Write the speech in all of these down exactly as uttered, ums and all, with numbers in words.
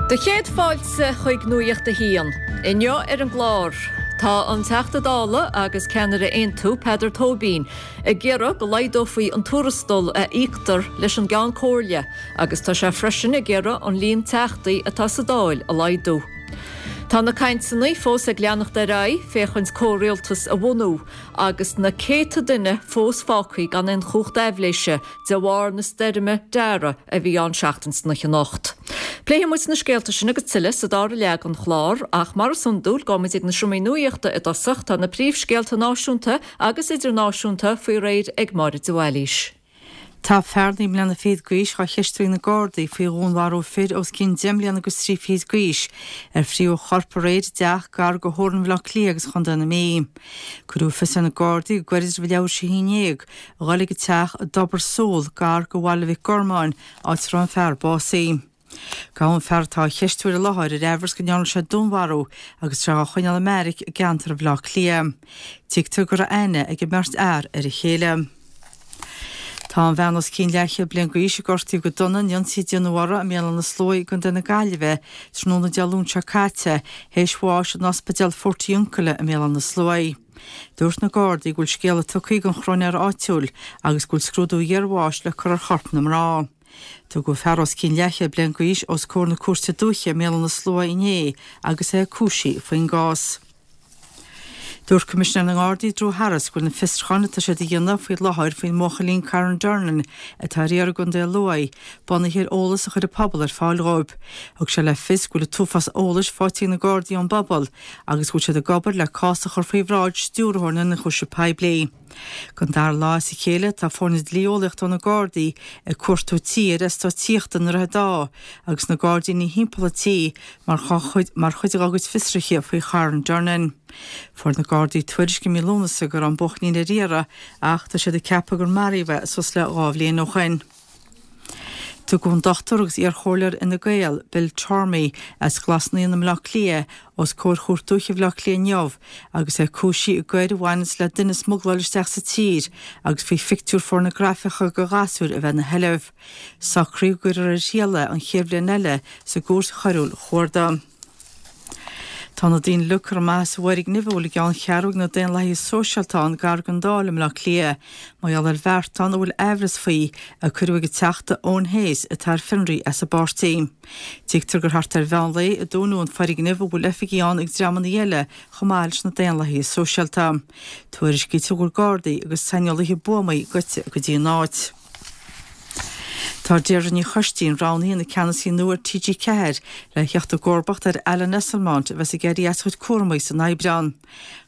Do chéad fáilte chuig Nuacht a hAon. Inniu ar an gclár. Tá an Teachta Dála agus ceannaire Aontú Peadar Tóibín ag iarraidh go laghdófaí an tuarastal a íoctar leis an gCeann Comhairle agus tá sé freisin ag iarraidh an líon teachtaí atá sa Dáil a laghdú. Tá na cainteanna fós ag leanacht ar aghaidh féachaint comhrialtas a bhunú agus na céadta duine fós fágtha gan aon chumhacht aibhléise de bharr na stoirme Dara a bhí ann seachtain na chinocht. Pléifidh muid na scéalta sin agus tuilleadh sa dara leath den chlár ach mar is iondúil gabhfaimid ag na seomraí nuachta i dtosach tá na príomhscéalta náisiúnta agus idirnáisiúnta faoi réir ag Máire de Bhailís. Tá fear naoi mbliana fichead d'aois á cheistiú ag na Gardaí faoi dhúnmharú fir os cionn deich mbliana agus trí fichid d'aois ar fríothadh a chorp aréir i dteach gar do theorainn Bhaile Átha Cliath agus Chontae na Mí. Cuireadh fios ar na Gardaí go gairid roimh leathuair tar éis a haon déag a dhul ag an teach i dTobar Súl gar do Bhaile Mhic Gormáin áit a raibh an fear básaithe. Gabhadh an fear atá á cheistiú ar an láthair ar amhras go ndearna sé dúnmharú agus tá sé á choinneáil i mbeairic i gceantar Bhaile Átha Cliath. Tuigtear go raibh aithne ag an mbeirt fhear ar a chéile. Tá an bhean os cionn leathchéad bliain d'aois a gortaíodh go dona in ionsaí a déanadh uirthi i mBéal Átha na Sluaighe i gContae na Gaillimhe tráthnóna Dé Luain seo caite théis bháis in ospidéal Portiuncula i mBéal Átha na Sluaighe. Dúirt na Gardaí go bhfuil scéala tugtha ag an chróinéir áitiúil agus go bhfuil scrúdú iarbháis le cur ar chorp na mná. Tugadh fear os cionn leathchéad bliain d'aois os comhair na cúirte dúiche i mBéal Átha na Sluaighe inné agus é cúisithe faoin gcás. Dúirt Coimisinéir na nGardaí Drew Harris go bhfuil na fiosrúcháin atá siad a dhéanamh faoi láthair faoin mbuachaillín Kyran Durnin atá ar iarraidh i gContae Lú bunaithe ar eolas a chuir an pobal ar fáil dóibh. Thug sé le fios go bhfuil an t-uafás eolais faighte ag na Gardaí ón bpobal agus go bhfuil siad ag obair le cás a chur faoi bhráid stiúrthóir na n-ionchúiseamh poiblí. Don dara lá as a chéile tá foirne dlí-eolaíochta ó na Gardaí ag cuartú tí ar eastát tithíochta i nDroichead Átha agus na gairdíní thimpeall an tí mar chuid mar chuid dá gcuid fiosruithe faoi Kyran Durnin. Fuair na Gardaí tuairisc i mí Lúnasa go raibh an buachaillín ar iarraidh ach tá siad ag ceapadh gur maraíodh é suas le dhá bhliain ó shin. Tugadh an dochtúir agus iarchomhairleoir Fhine Gael, Bill Tormey, as Glas Naíon i mBaile Átha Cliath os comhair Chúirt Dúiche Bhaile Átha Cliath inniu agus é cúisithe i gcoir a bhaineanns le duine a smugláil isteach sa tír agus faoi phictiúir phornagrafaice de ghasúir a bheith ina sheilbh. Socraíodh go gcuirfear ar triail é an chéad bhliain eile sa gcúirt choiriúil chuarda. Tá na daoine uilig curtha amach as an bhfoirgneamh a bhfuil a gceanncheathrú ag na Daonlathaithe Sóisialta ann gar don Dáil i mBaile Átha Cliath mar gheall ar bheartán a bhfuil aimhreas faoi a cuireadh ag an Teachta Eoin Hayes atá ar fionraí as an bpáirtí. Tuigtear gur thart ar mheán lae a dúnadh an foirgneamh a bhfuil oifigí ann ag dreamanna eile chomh maith leis na Daonlathaithe Sóisialta. Tuairiscítear go bhfuil Gardaí agus saineolaithe buamaí gaibhte go dtí an áit. Tá Deirdre Ní Choistín roghnaithe ina ceannasaí nua ar T G ceathair le theacht i gcomharbacht ar Alan Esslemont a bheas ag éirí as a chuid cúramaí san Aibreán.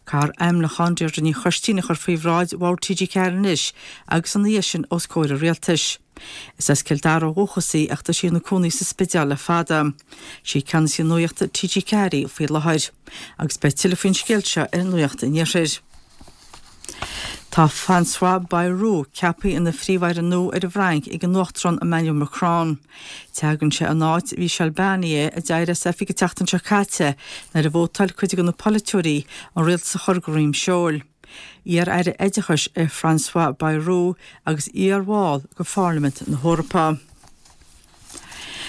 Caithfear ainmniúchán Deirdre Ní Choistín a chur faoi bhráid Bhord T G ceathair anois agus ina dhiaidh sin os comhair an Rialtais. Is as Cill Dara ó dhúchas í ach tá sí ina cónaí sa Spidéal le fada. Is í ceannasaí nuachta T G ceathair í faoi láthair. Agus beidh tuilleadh faoin scéal seo ar Nuacht an Iarthair. Tá François Bayrou ceaptha ina Phríomh-Aire nua ar an bhFrainc ag an Uachtarán Emmanuel Macron. Tagann sé in áit Michel Barnier a d'éirigh as oifig an tseachtain seo caite nuair a vótáil cuid de na polaiteoirí an rialtas a chur de dhroim seoil. Iar-aire oideachais é François Bayrou agus iar-bhall de Pharlaimint na hEorpa.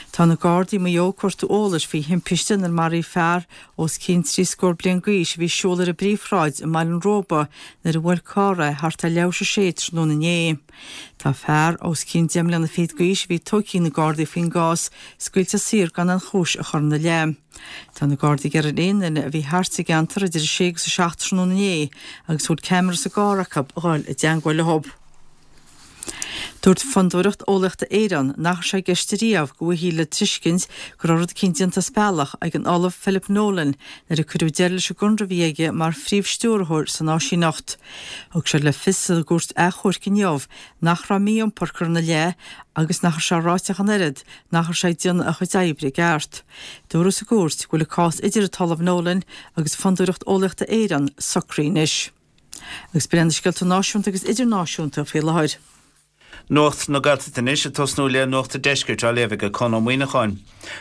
Tá na Gardaí i Maigh Eo ag cuartú eolais faoi thimpiste inar maraíodh fear os cionn trí scór bliain d'aois a bhí ag siúl ar an bPríomhshráid i mBaile an Róba nuair a bhuail carr é thart ar leathuair tar éis a sé tráthnóna inné. Tá fear os cionn deich mbliana fichead d'aois a bhí tógtha ag na Gardaí faoin gcás scaoilte saor gan aon chúis a chur ina leith. Tá na Gardaí ag iarraidh ar aon duine a bhí thart sa gceantar idir a sé agus a seacht tráthnóna inné agus a bhfuil ceamara sa gcarr acu a dhul i dteangmháil leo. Dúirt Fondúireacht Eolaíochta Éireann nach raibh sé i gceist ariamh go bhfaighfí le tuiscint go raibh rud eicínt déanta as bealach ag an Ollamh Philip Nolan nuair a cuireadh deireadh leis an gconradh a bhí aige mar phríomh-stiúrthóir san áisíneacht. Thug sé le fios sa gcúirt achomhairc inniu nach raibh mí-iompar curtha ina leith agus nach raibh sé ráite ach an oiread nach raibh sé ag déanamh a chuid oibre i gceart. Dúradh sa gcúirt go bhfuil an cás idir an tOllamh Nolan agus Fondúireacht Eolaíochta Éireann socraithe anois. Agus b'in iad na scéalta náisiúnta agus idirnáisiúnta faoi láthair. Nuacht na Gaeltachta anois ag tosnú le Nuacht an Deiscirt á léamh ag Conn Ó Muíneacháin.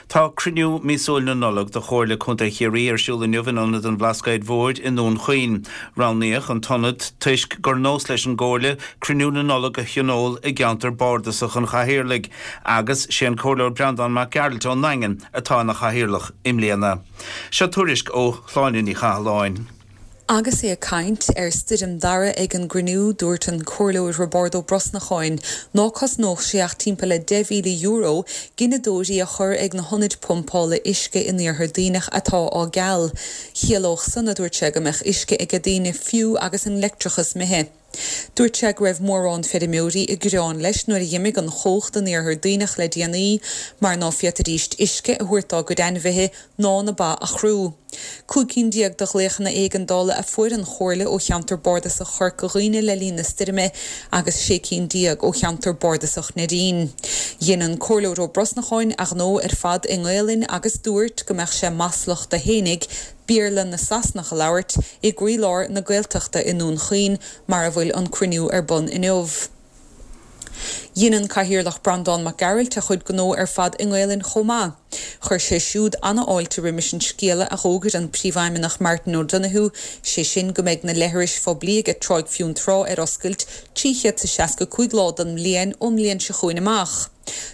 Tá cruinniú míosúil na Nollag de Chomhairle Contae Chiarraí ar siúl inniu in Ionad an Bhlascaoid Mhóir i nDún Chaoin. Roghnaíodh an t-ionad toisc gur nós leis an gComhairle cruinniú na Nollag a thionól i gceantar bardasach an Chathaoirligh agus sé an Comhairleoir Breandán Mac Gearailt ón nDaingean atá ina chathaoirleach i mbliana. Seo tuairisc ó Shláine Ní Chathalláin. Agus é ag caint ar Stoirm Dara ag an gcruinniú, dúirt an Comhairleoir Roibeárd Ó Brosnacháin ná cosnódh sé ach timpeall le deich mhíle euro gineadóirí a chur ag na hionaid pumpála uisce in Iarthar Duibhneach atá á gceal. Chiallódh san, a dúirt sé, go mbeadh uisce ag daoine fiú agus an leictreachas imithe. Dúirt sé go raibh mórán feirmeoirí i gcreán leis nuair a d'imigh an chumhacht in Iarthar Duibhneach le déanaí mar ná féadfaidíst uisce a thabhairt dá gcuid ainmhithe ná na ba a chrú. Cúig cinn déag de ghlaochanna éigeandála a fuair an Chomhairle ó cheantar bardasach Chorca Dhuibhne le linn na stoirme agus sé cinn déag ó cheantar bardasach Neidín. Dhein an Comhairleoir Ó Brosnacháin a ghnó ar fad i nGaelainn agus dúirt go mbeadh sé maslach do fhéinig Béarla na Sasanach a labhairt i gcroílár na Gaeltachta i nDún Chaoin mar a bhfuil an cruinniú ar bun inniu. Dhein an Cathaoirleach Breandán Mac Gearailt a chuid gnó ar fad i nGaelainn chomh maith. Chuir sé siúd an-fháilte roimis an scéala a d'fhógair an Príomhfheidhmeannach Martin O'Donoghue, sé sin go mbeidh na leithris phoiblí ag Tráigh Fionntrá ar oscailt trí chéad is seasca cúig lá den mbliain ón mbliain seo chugainn amach.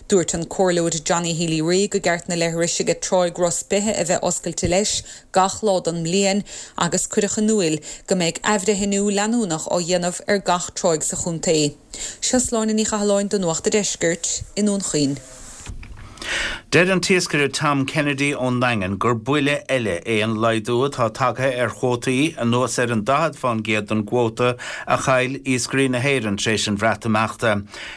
Dúirt an Comhairleoir Johnny Healy-Rae go gceart na leithris ag Tráigh Ros Beithe a bheith oscailte leis gach lá den mbliain agus cuireadh in iúl go mbeidh athbhreithniú leanúnach á dhéanamh ar gach tráigh sa chontae. Seo Sláine Ní Chathalláin do Nuacht an Deiscirt i nDún Chaoin. Deir an t-iascaire Tom Kennedy ón nDaingean gur buille eile é an laghdú atá tagtha ar chuótaí anuas ar an daichead faoin gcéad den gcuóta a chaill iascairí na hÉireann tar éis an Bhreatimeachta.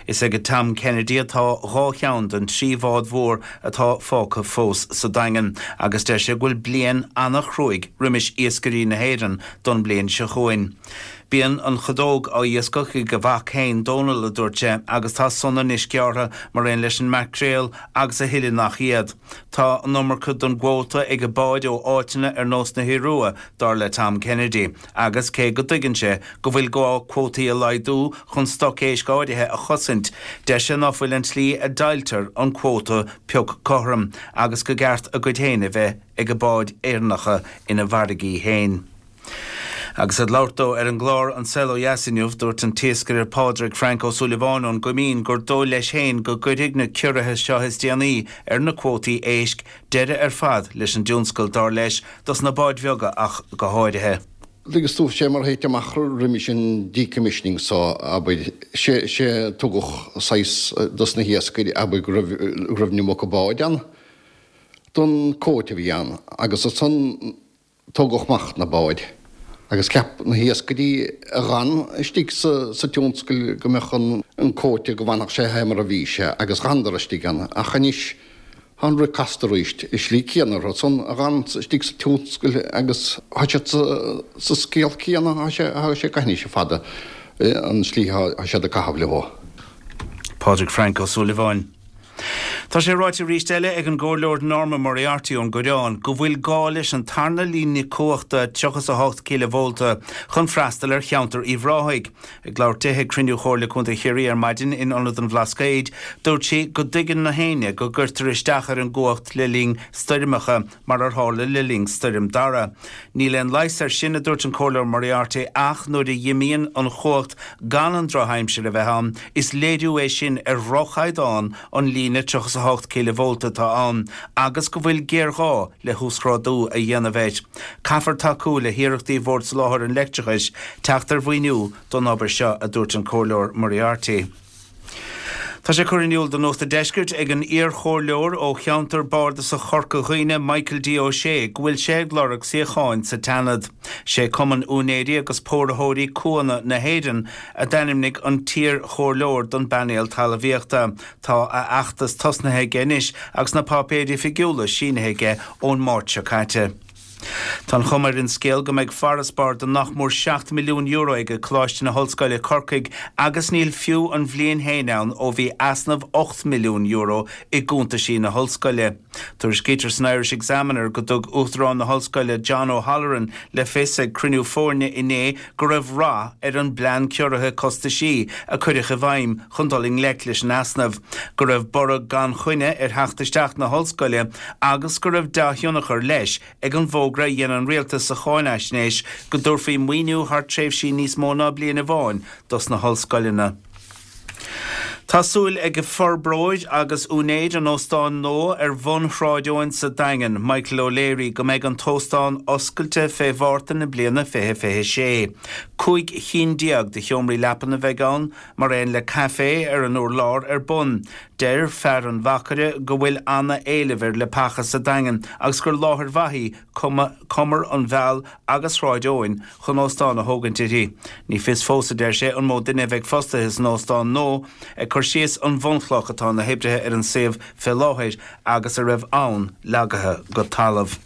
Is ag Tom Kennedy atá dhá cheann den trí bhád mhór atá fágtha fós sa Daingean agus deir sé go bhfuil bliain an-chruaidh roimis iascairí na hÉireann don bhliain seo chugainn. Bíonn an chadóg á iascach ag a mhac féin Dónal, a dúirt sé, agus tá sona anois gearrtha mar aon leis an maicréal agus a thuilleadh nach iad. Tá an iomarca den gcuóta ag a báid ó áiteanna ar nós na hIorua, dar le Tom Kennedy, agus cé go dtuigeann sé go bhfuil gá cuótaí a laghdú chun stoc éisc áirithe a chosaint, deir sé ná fuil an tslí a deighiltear an cuóta pioc cothrom agus go gceart a gcuid féin a bheith ag a báid Éireannacha ina bhfarraigí féin. Agus ag labhairt dó ar an gclár An Saol Ó Dheas inniu, dúirt an t-iascaire Pádraig Frank Ó Súilleabháin ón gCoimín gur dóigh leis féin go gcuirfidh na ciorruithe seo is déanaí ar na cuótaí éisc deireadh ar fad leis an dtionscal, dar leis, dos na báid bheaga ach go háirithe. Agus tú sé mar théite amach roimis an decommissioning so, abair, sé sé tugadh saghas dos na hiascairí, abair, go raibh go raibh an iomarca báid ann don cuóta a bhí ann agus ansan tógadh amach na báid agus cheap na hiascairí a dh'fhan istigh sa tionscal go mbeadh an cuóta go bhfanfadh sé fé mar a bhí sé agus dh'fhanadar istigh ann ach anois tá an rud casta arís i slí céanna orthu san a dh'fhan istigh sa tionscal agus tá siad sa scéal céanna tá sé tá sé gaithneach fada an slí tá siad ag caitheamh leo. Pádraig Frank Ó Súilleabháin. Tá sé ráite arís eile ag an gComhairleoir Norma Moriarty ón gCoireán go bhfuil gá leis an tarna líne cumhachta tríocha is a hocht cileavólta chun freastal ar cheantar Uíbh Ráthaigh. Ag labhairt di ag cruinniú Chomhairle Contae Chiarraí ar maidin in Ionad an Bhlascaoid, dúirt sí go dtuigeann na héinne go gcuirtear isteach ar an gcumhacht le linn stoirmeacha, mar ar tharla le linn Stoirm Dara. Níl aon leigheas air sin, a dúirt an Comhairleoir Moriarty, ach nuair a dh'imíonn an chumhacht gan an drochaimsir a bheith ann, is léiriú é sin ar dhroch-chaighdeán an líne tríocha is a hocht cileavólta atá ann agus go bhfuil géarghá le huasghrádú a dhéanamh air. Caithfear tacú le hiarrachtaí Bhord Soláthair an Leictreachais teacht ar mhaoiniú don obair seo, a dúirt an Comhairleoir Moriarty. Tá sé curtha in iúl do Nuacht an Deiscirt ag an iarchomhairleoir ó cheantar bardasach Chorca Dhuibhne, Michael D. Ó Sé, go bhfuil sé ag lorg suíocháin sa tSeanad. Sé Cumann Úinéirí agus Póraitheoirí Cuanna na hÉireann a d'ainmnigh an t-iarchomhairleoir don bpainéal talmhaíochta. Tá a fheachtas tosnaithe aige anois agus na páipéir oifigiúla sínithe aige ón Máirt seo caite. Tá an chuma ar an scéal go mbeidh farasbarr de nach mór seacht milliún euro ag Coláiste na hOllscoile Corcaigh agus níl fiú an bhliain féin ann ó bhí easnamh ocht milliún euro i gcuntaisí na hollscoile. Tuairiscítear san Irish Examiner go dtug Uachtarán na hOllscoile John O'Halloran le fios ag cruinniú foirne inné go raibh rath ar an bplean ciorraithe costaisí a cuireadh i bhfeidhm chun dul i ngleic leis an easnamh, go raibh borradh gan choinne ar theacht isteach na hollscoile agus go raibh dea-thionchar leis ag an bhfógra a dhein an rialtas sa cháinaisnéis go dtabharfaí maoiniú thar tréimhsí níos mó ná bliain amháin dos na hollscoileanna. Tá súil ag forbróir agus úinéir an óstáin nua ar bhun Shráid Eoin sa Daingean, Michael O'Leary, go mbeidh an t-óstán oscailte fé Mhárta na bliana fiche fiche sé. Cúig chinn déag de sheomraí leapan a bheidh ann, mar aon le caifé ar an urlár ar bun. Deir fear an mhachaire go bhfuil ana-éileamh ar leapacha sa Daingean agus gur láthair mhaith í cumar an Mheal agus Shráid Eoin chun óstán a thógaint uirthi. Ní fios fós, a deir sé, an mó duine a bheidh fostaithe san óstán nua, ag cur síos an bhunchloch atá na hoibrithe ar an suíomh fé láthair agus a raibh ann leagaithe go talamh.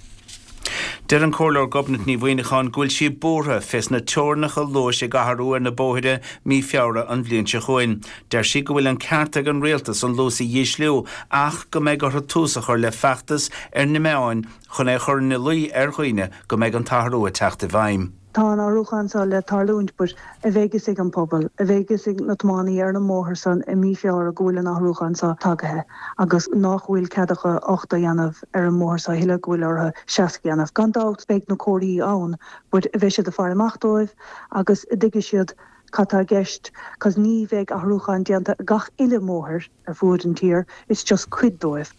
Deir an Comhairleoir Gobnait Ní Mhuineacháin go bhfuil sí buartha fés na teorainneacha luais ag athrú ar na bóithre mí Feabhra an bhliain seo chugainn. Deir sí go bhfuil an ceart ag an rialtas an luas a dhísliú ach go mbeidh orthu tús a chur le feachtas ar na meáin chun é a chur ina luí ar dhaoine go mbeidh an t-athrú ag teacht i bhfeidhm. Tá an athrúchán seo le tarlúint but a bheidh fhios ag an pobal, a bheidh fhios ag na tiománaí ar an mbóthar san i mí Feabhra go bhfuil an athrúchán seo tagaithe agus nach bhfuil cead acu ochtó a dhéanamh ar an mbóthar seo a thuilleadh, go bhfuil orthu seasca a dhéanamh. Gan dabht beidh na comharthaí ann but a bheidh siad ag faire amach dóibh agus a dtuigfidh siad cad tá i gceist cos ní bheidh athrúchán déanta ar gach uile mbóthar ar fuaid an tír, it's just cuid dóibh.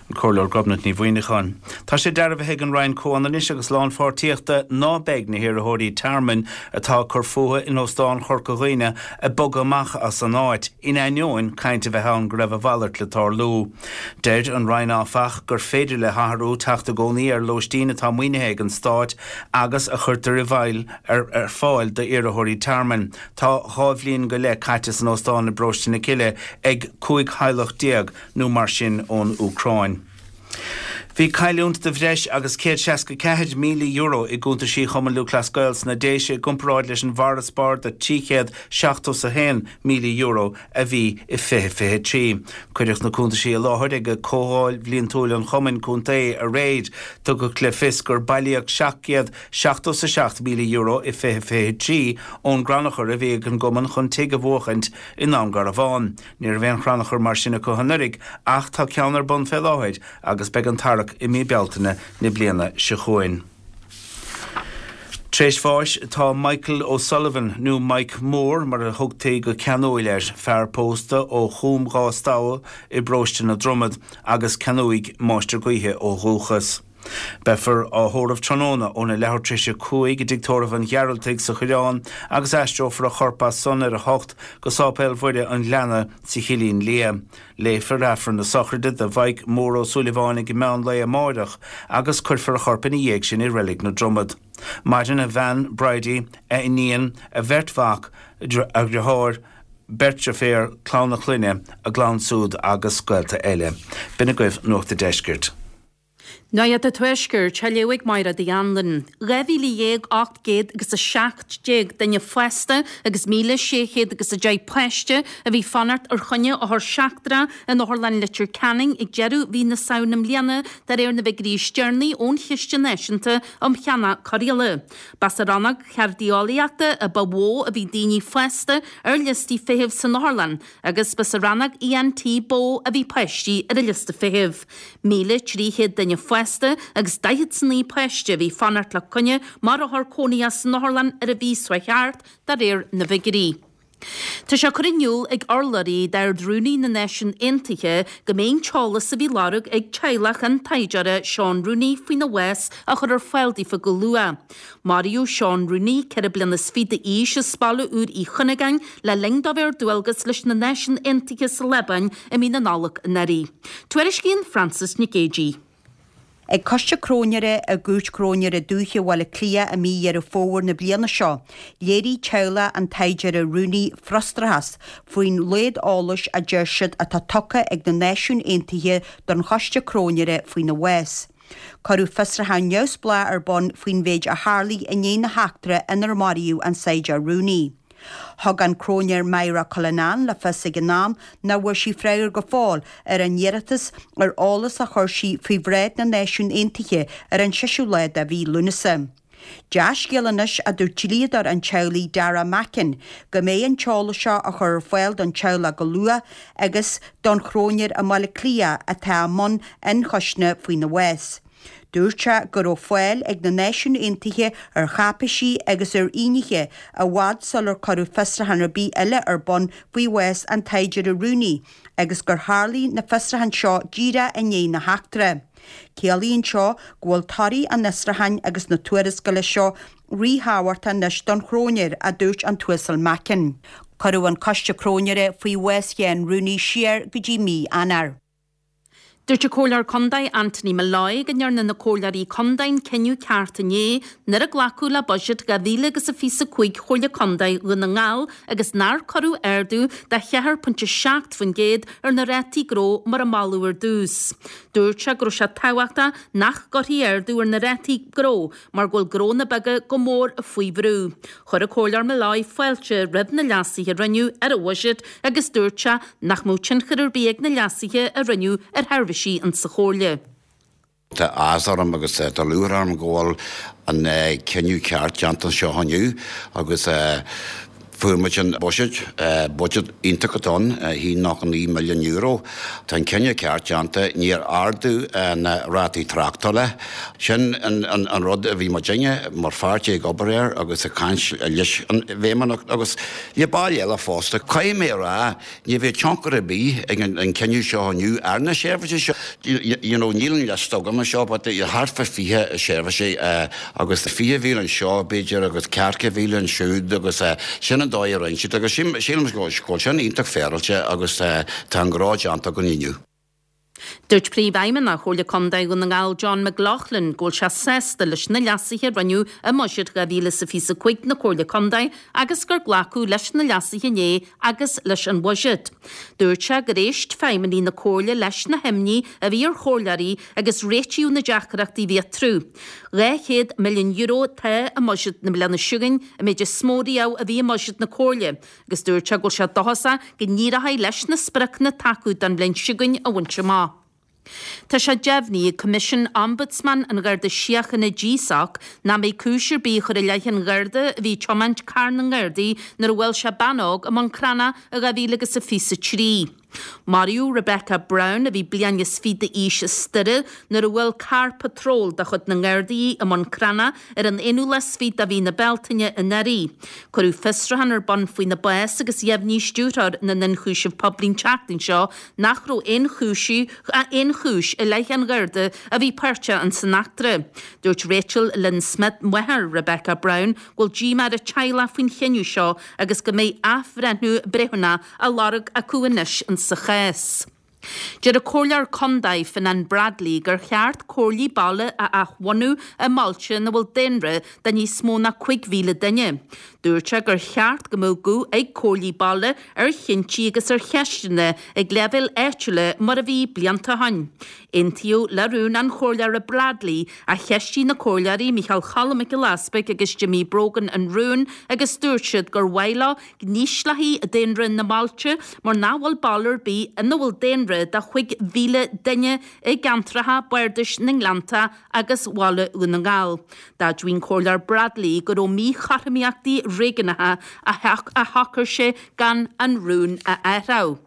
An Comhairleoir Gobnait Ní Mhuineacháin. Tá sé dearbhaithe ag an Roinn Comhionannais agus Lánpháirtíochta ná beidh na hiarrthóirí tearmainn atá ag cur fúthu in Óstán Chorca Dhuibhne ag bogadh amach as an áit, in ainneoin caint a bheith ann go raibh a mhalairt le tarlú. Deir an Roinn áfach gur féidir le hathrú teacht i gcónaí ar lóistín atá maoinithe ag an Stát agus a chuirtear i bhfeighil ar fáil d'iarrthóirí tearmainn. Tá dhá bhliain go leith caite san óstán i bParóiste na Cille ag cúig theaghlach déag nó mar sin ón Úcráin. Bhí cailliúint de bhreis agus céad seasca ceathair míle euro i gcuntaisí Chumann Lúthchleas Gael sna Déise i gcomparáid leis an bhfarasbarr de trí chéad seachtó is a haon míle euro a bhí i fiche fiche trí. Cuireadh na cuntaisí i láthair ag comhdháil bhliantúil an chumainn contae aréir. Tugadh le fios gur bailíodh seacht gcéad seachtó is a seacht míle euro i fiche fiche trí ón gcrannchur a bhí ag an gcumann chun tigh a bhuachaint i nDún Garbhán. Ní raibh aon chrannchur mar sin acu anuraidh ach tá ceann ar bun fé láthair agus beidh an tarrac i mí Bealtaine na bliana seo chugainn. Tréis bháis tá Michael O'Sullivan, nó Mike Mór mar a thugtaí go ceanúil air, fear pósta ó Chúm Dhá Stamha i bparóiste na Dromad agus canúigh máistir gaoithe ó dhúchas. Beifear á thórramh tráthnóna óna leathuair tar éis a cúig i dtigh tórraimh an Ghearaltaigh sa Choireán agus aistreofar a chorp as san ar a hocht go Sáipéal Mhuire an Ghleanna sa Chillín Liath. Léifear Aifreann na sochraide do Mhaidhc Mór Ó Súilleabháin ag meán lae amáireach agus cuirfear a chorp ina dhiaidh sin i Reilig na Dromad. Maireann a bhean Bridie, a iníon, a bheirt mhac, a dheartháir, beirt deirféar, clann a clainne, a gclann siúd agus gaolta eile. B'in agaibh Nuacht an Deiscirt. Nuacht an Tuaiscirt, á léamh ag Máire Uí Anluain. Dhá mhíle dhéag ocht gcéad agus a seacht déag duine fásta agus míle sé chéad agus a deich páiste a bhí fanacht ar choinne othar seachtrach in Otharlann Leitir Ceanainn ag deireadh mhí na Samhna i mbliana, de réir na bhfigiúirí is deireanaí ón Chiste Náisiúnta um Cheannach Cóireála. Ba sa rannóg cheirdeolaíochta a ba mhó a bhí daoine fásta ar liostaí feithimh san otharlann agus ba sa rannóg ENT ba mhó a bhí páistí ar an liosta feithimh. Míle trí chéad duine fásta agus daichead 's a naoi páiste a bhí fanacht le coinne mar othar cónaithe san otharlann ar an mhí seo thart, de réir na bhfigiúirí. Tá sé curtha in iúl ag urlabhraí d'Ard-Rúnaí na Náisiún Aontaithe go mbeidh an t-eolas a bhí lorg ag teaghlach an taighdeora Seán Rooney faoina bhás á chur ar fáil daofa go luath. Maraíodh Seán Rooney, ceithre bliana is fiche d'aois, as Baile Úr Uí Chuinneagáin le linn dó bheith ar dualgas leis na Náisiúin Aontaithe sa Liobáin i mí na Nollag anuraidh. Tuairiscíonn Frances Nic Géadaigh. Ag Coiste Cróinéara i gCúirt Chróinéara Dúiche Bhaile Átha Cliath i mí Dheireadh Fómhair na bliana seo, léirigh teaghlach an taighdeora Rooney frustrachas faoin laghad eolais a deir siad atá tugtha ag na Náisiúin Aontaithe don Choiste Cróinéara faoina bhás. Cuireadh fiosrúchán neamhspleách ar bun faoin mhéid a tharlaigh i ndiaidh na heachtra inar maraíodh an Saighdiúir Rooney. Thug an Cróinéir Myra Cullinan le fios ag an am nach bhfuair sí freagra go fóill ar an iarratas ar eolas a chuir sí faoi bhráid na Náisiún Aontaithe ar an seisiú lá de mhí Lúnasa. Dea-scéal anois, a dúirt dlíodóir an teaghlaigh Dara Mackin, go mbeidh an t-eolas seo á chur ar fáil don teaghlach go luath agus don chróinéir i mBaile Átha Cliath atá i mbun ionchoisne faoina bhás. Dúirt sé go raibh fáil ag na Náisiúin Aontaithe ar cháipéisí agus ar fhínnéithe i bhfad sular cuireadh fiosrúchán ar bith eile ar bun faoi bhás an tSaighdiúra Rooney agus gur tharlaigh na fiosrúcháin seo díreach i ndiaidh na heachtra. Ciallaíonn seo go bhfuil torthaí an fhiosrúcháin agus na tuarascála seo ríthábhachtach anois don chróinéir, a dúirt an tUasal Mackin. Cuireadh an Coiste Cróinéara faoi bhás Sheáin Rooney siar go dtí mí Eanáir. Dúirt an Comhairleoir Contae Anthony Molloy go ndearna na Comhairleoirí Contae an cinneadh ceart inné nuair a glacadh le Buiséad dhá mhíle agus a fiche a cúig Chomhairle Contae Dhún na nGall agus nár cuireadh ardú de cheathair pointe seacht faoin gcéad ar na rátaí gnó mar a moladh ar dtús. Dúirt sé go raibh sé tábhachtach nach gcuirfí ardú ar na rátaí gnó mar go bhfuil gnónna beaga go mór faoi bhrú. Chuir an Comhairleoir Molloy fáilte roimh na leasuithe a rinneadh ar an bhuiséad agus dúirt sé nach mbeadh tionchar ar bith ag na leasuithe a rinneadh ar sheirbhísí insa Chomhairle. Tá áthas orm agus tá lúcháir orm go bhfuil an cinneadh ceart déanta anseo inniu agus fuair muid an buiséad, buiséad iontach atá ann, a haon nócha naoi milliún euro. Tá an cinneadh ceart déanta, níor ardú na rátaí tráchtála. Sin an rud a bhí muidinne mar pháirtí ag obair air agus ag caint leis an bhFeidhmeannacht agus le baill eile fosta. Caithfidh mé a rá, Ní bheidh tionchar ar bith ag an cinneadh seo inniu ar na seirbhísí seo. You know, níl an liosta agam anseo but thart fá fiche seirbhísí agus fiche mhíle anseo b'fhéidir agus ceathracha mhíle ansiúd agus sin an dóigh a rinne siad agus sílim go bhfuil sin iontach féaráilte agus tá an gnó déanta againn inniu. Dúirt Príomhfheidhmeannach Chomhairle Contae Dhún na nGall John McLaughlin go bhfuil sé sásta leis na leasuithe a rinneadh i mBuiséad dhá mhíle is a fiche a cúig na Comhairle Contae agus gur glacadh leis na leasuithe inné agus leis an bhuiséad. Dúirt sé gur éist feidhmeannaigh na Comhairle leis na himní a bhí ar chomhairleoirí agus réitíodh na deacrachtaí a bhí eatarthu. Dhá chéad milliún euro atá i mbuiséad na bliana seo chugainn, an méid is mó riamh a bhí i mbuiséad na Comhairle, agus dúirt sé go bhfuil sé dóchasach go n-éireoidh leis na spriocanna atá acu don bhliain seo chugainn a bhaint amach. Tá sé deimhnithe ag Coimisiún Ombudsman an Gharda Síochána, GSOC, nach mbeidh cúis ar bith á chur i leith an Gharda a bhí ag tiomáint carr na nGardaí nuair a bhuail sé bean óg i mBun Cranncha i dhá mhíle agus a fiche a trí. Maraíodh Rebecca Brown, a bhí bliain is fiche d'aois as Doire, nuair a bhuail carr patróil de chuid na nGardaí í i mBun Cranncha ar an aonú lá is fiche de mhí na Bealtaine anuraidh. Cuireadh fiosrúchán ar bun faoina bás agus dheimhnigh Stiúrthóir na nIonchúiseamh Poiblí an tseachtain seo nach raibh aon chúis aon chúis i leith an Gharda a bhí páirteach in san eachtra. Dúirt Rachel Lynn Smith, máthair Rebecca Brown, go bhfuil díomá ar a teaghlach faoin chinneadh seo agus go mbeidh athbhreithniú breithiúnach á lorg acu anois insa chás. Deir an Comhairleoir Contae Fionnán Bradley gur cheart comhairlí baile a athbhunú i mbailte ina bhfuil daonra de níos mó ná cúig mhíle duine. Dúirt sé gur cheart go mbeadh guth ag comhairlí baile ar chinntí agus ar cheisteanna ag leibhéil áitiúla mar a bhí blianta ó shin. Aontaíodh le rún an Chomhairleora Bradley ach cheistigh na Comhairleoirí Micheál Choilm Mac Giolla Easpaig agus Jimmy Brogan an rún agus dúirt siad gur mhaith leo go n-ísleofaí daonra na mbailte mar nach bhfuil baile ar bith ina bhfuil daonra de chúig mhíle duine i gceantracha bardais na nGleannta agus Bhaile Dhún na nGall. D'admhaigh an Comhairleoir Bradley go raibh míchothromaíochtaí réigiúnacha a shocair sé gan an rún a athrú.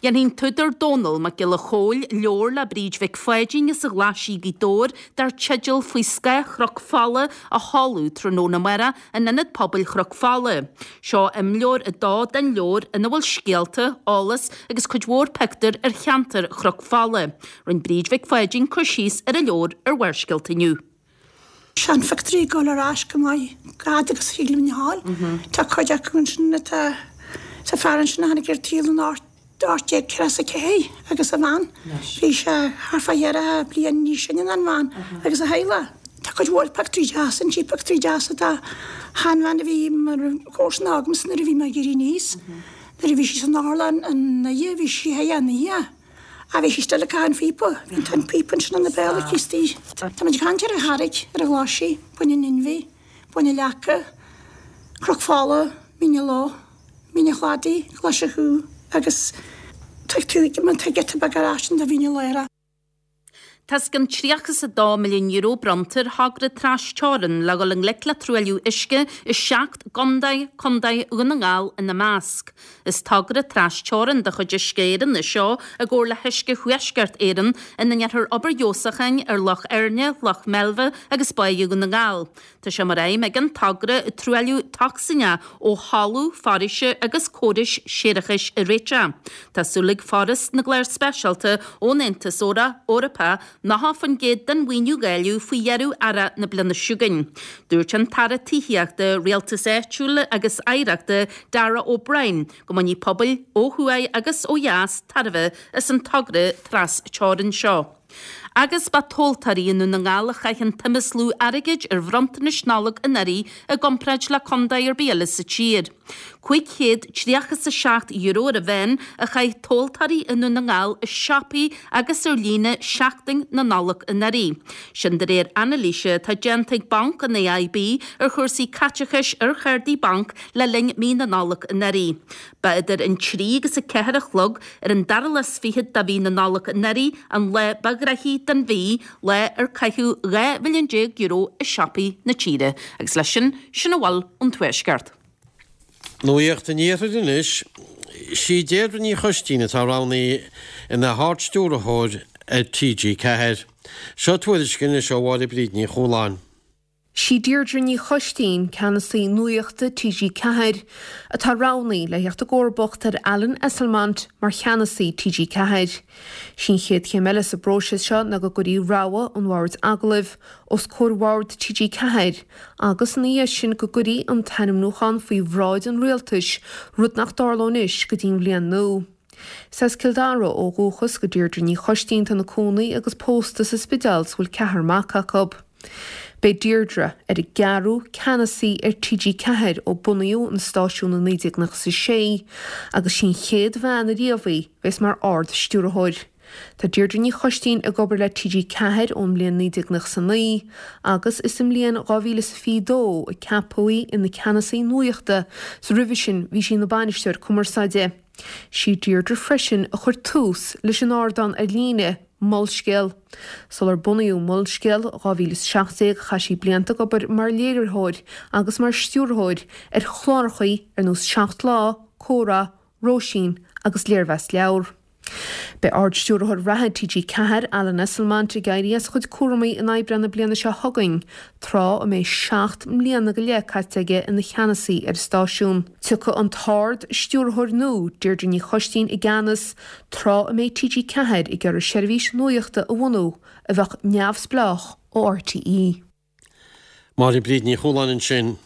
Dhéanfaidh an t-údar Dónall Mac Giolla Chóill leabhar le Bríd Mhic Pháidín as an Ghlaisigh, Gaoth Dobhair, dar teideal Faoi Scáth Chnoc Fola a sheoladh tráthnóna amárach in Ionad Pobail Chnoc Fola. Seo imleabhar a dó den leabhar ina bhfuil scéalta, eolas agus cuid mhór pictiúr ar cheantar Chnoc Fola. Rinne Bríd Mhic Pháidín cur síos ar an leabhar ar Bharrscéalta inniu. Seanphictiúirí ag dul ar ais go maith fhad agus a shílim a fháil. Tá cuid acu ansin atá sa fear ansin a tháinig ar an tsaol in ocht déag ceathracha is a ceathair agus a bhean. Bhí sé thart fá cheathracha bliain níos sine ná an bhean agus a theaghlach. Tá cuid mhór pictiúirí deasa ansin, pictiúirí deasa dá sheanbhean a bhí mar chomharsan agamsa nuair a bhí mé ag éirí aníos. Nuair a bhí sí san otharlann i nDoire bhí sí thigh an oíche. A bhí sí still ag caitheamh an phíopa. Bhí an píopa ansin ina béal aici istigh. Tá muid ag caint ar an Charraig, ar an Ghlaisigh, Bun an Inbhir, Bun na Leaca, Cnoc Fola, Mín na Ló, Mín an Chladaigh, Glaise Chú agus tá tú tá giota beag ar ais do Mhín Lárach. Tá os cionn tríocha is a dó milliún euro bronnta ar thogra trasteorann le dhul i ngleic le truailliú uisce i seacht gcontae, Contae Dhún na nGall ina measc. Is togra trasteorann de chuid Uisce Éireann é seo i gcomhar le hUisce Thuaisceart Éireann ina ndéanfar obair fheabhsúcháin ar Loch Éirne, Loch Meilbhe agus Báighe Dhún na nGall. Tá sé mar aidhm ag an togra truailliú tocsaineach ó thalamh foraoise agus córais séarachais a réiteach. Tá súil ag Foras na gClár Speisialta ón Aontas Eorpach nócha faoin gcéad den mhaoiniú a dháileadh faoi dheireadh earrach na bliana seo chugainn. Dúirt an tAire Tithíochta, Rialtais Áitiúil agus Oidhreachta Darragh O'Brien go mbainfidh pobail ó thuaidh agus ó dheas tairbhe as an togra trasteorann seo. Agus ba tomhaltóirí i nDún na nGall a chaith an tsuim is lú airgid ar bhronntanais Nollag anuraidh i gcomparáid le contae ar bith eile sa tír. Cúig chéad tríocha is a seacht euro ar an mheán a chaith tomhaltóirí i nDún na nGall i siopaí agus ar líne seachtain na Nollag anuraidh. Sin de réir anailíse atá déanta ag Banc an AIB ar chúrsaí caiteachais ar chártaí bainc le linn mí na Nollag anuraidh. Ba idir an trí agus a ceathair a chlog ar an dara lá is fichead de mhí na Nollag anuraidh an lá ba ghnoithí den mhí, lá ar caitheadh dhá mhilliún déag euro i siopaí na tíre. Agus leis sin, sin a bhfuil ón Tuaisceart. Nuacht an Iarthair anois. Sí Deirdre Ní Choistín atá roghnaithe ina hArd-Stiúrthóir ar TG Ceathair. Seo tuairisc anois ó Mháire Bríd Ní Chualáin. Sí Deirdre Ní Choistín, Ceannasaí Nuachta TG Ceathair, atá roghnaithe le theacht i gcomharbacht ar Alan Esslemont mar Cheannasaí TG Ceathair. Sí an chéad chéim eile sa bpróiseas seo ná go gcuirfí rogha an Bhoird Agallaimh os comhair Bhord TG Ceathair agus ina dhiaidh sin go gcuirfí an t-ainmniúchán faoi bhráid an Rialtais, rud nach dtarlóidh anois go dtí an bhliain nua. Is as Cill Dara ó dhúchas do Deirdre Ní Choistín, atá ina cónaí agus pósta sa Spidéal is a bhfuil ceathrar mac acu. Beidh Deirdre ar an gceathrú ceannasaí ar TG Ceathair ó bunaíodh an stáisiún i naoi déag nócha is a sé agus sí an chéad bhean ariamh í a bheas mar Ard-Stiúrthóir. Tá Deirdre Ní Choistín ag obair le TG Ceathair ón mbliain naoi déag nócha is a naoi agus is sa mbliain dhá mhíle is a fiche dó a ceapadh í ina ceannasaí nuachta is roimhe sin bhí sí ina bainisteoir cumarsáide. Sí Deirdre freisin a chuir tús leis an ardán ar líne, Molscéal. Sular bunaíodh Molscéal dhá mhíle is seacht déag chaith sí blianta ag obair mar léiritheoir agus mar stiúrthóir ar chláracha ar nós Seacht Lá, Comhrá, Róisín agus Léirmheas Leabhar. Beidh Ard-Stiúrthóir reatha TG Ceathair, Alan Esslemont, ag éirí as a chuid cúraimí in Aibreán na bliana seo chugainn, tráth a mbeidh seacht mbliana go leith caite aige ina cheannasaí ar an stáisiún. Tiocfaidh an tArd-Stiúrthóir nua, Deirdre Ní Choistín, i gceannas tráth a mbeidh TG Ceathair ag iarraidh seirbhís nuachta a bhunú a bheadh neamhspleách ó RTÉ. Máire Bríd Ní Chualáin ansin.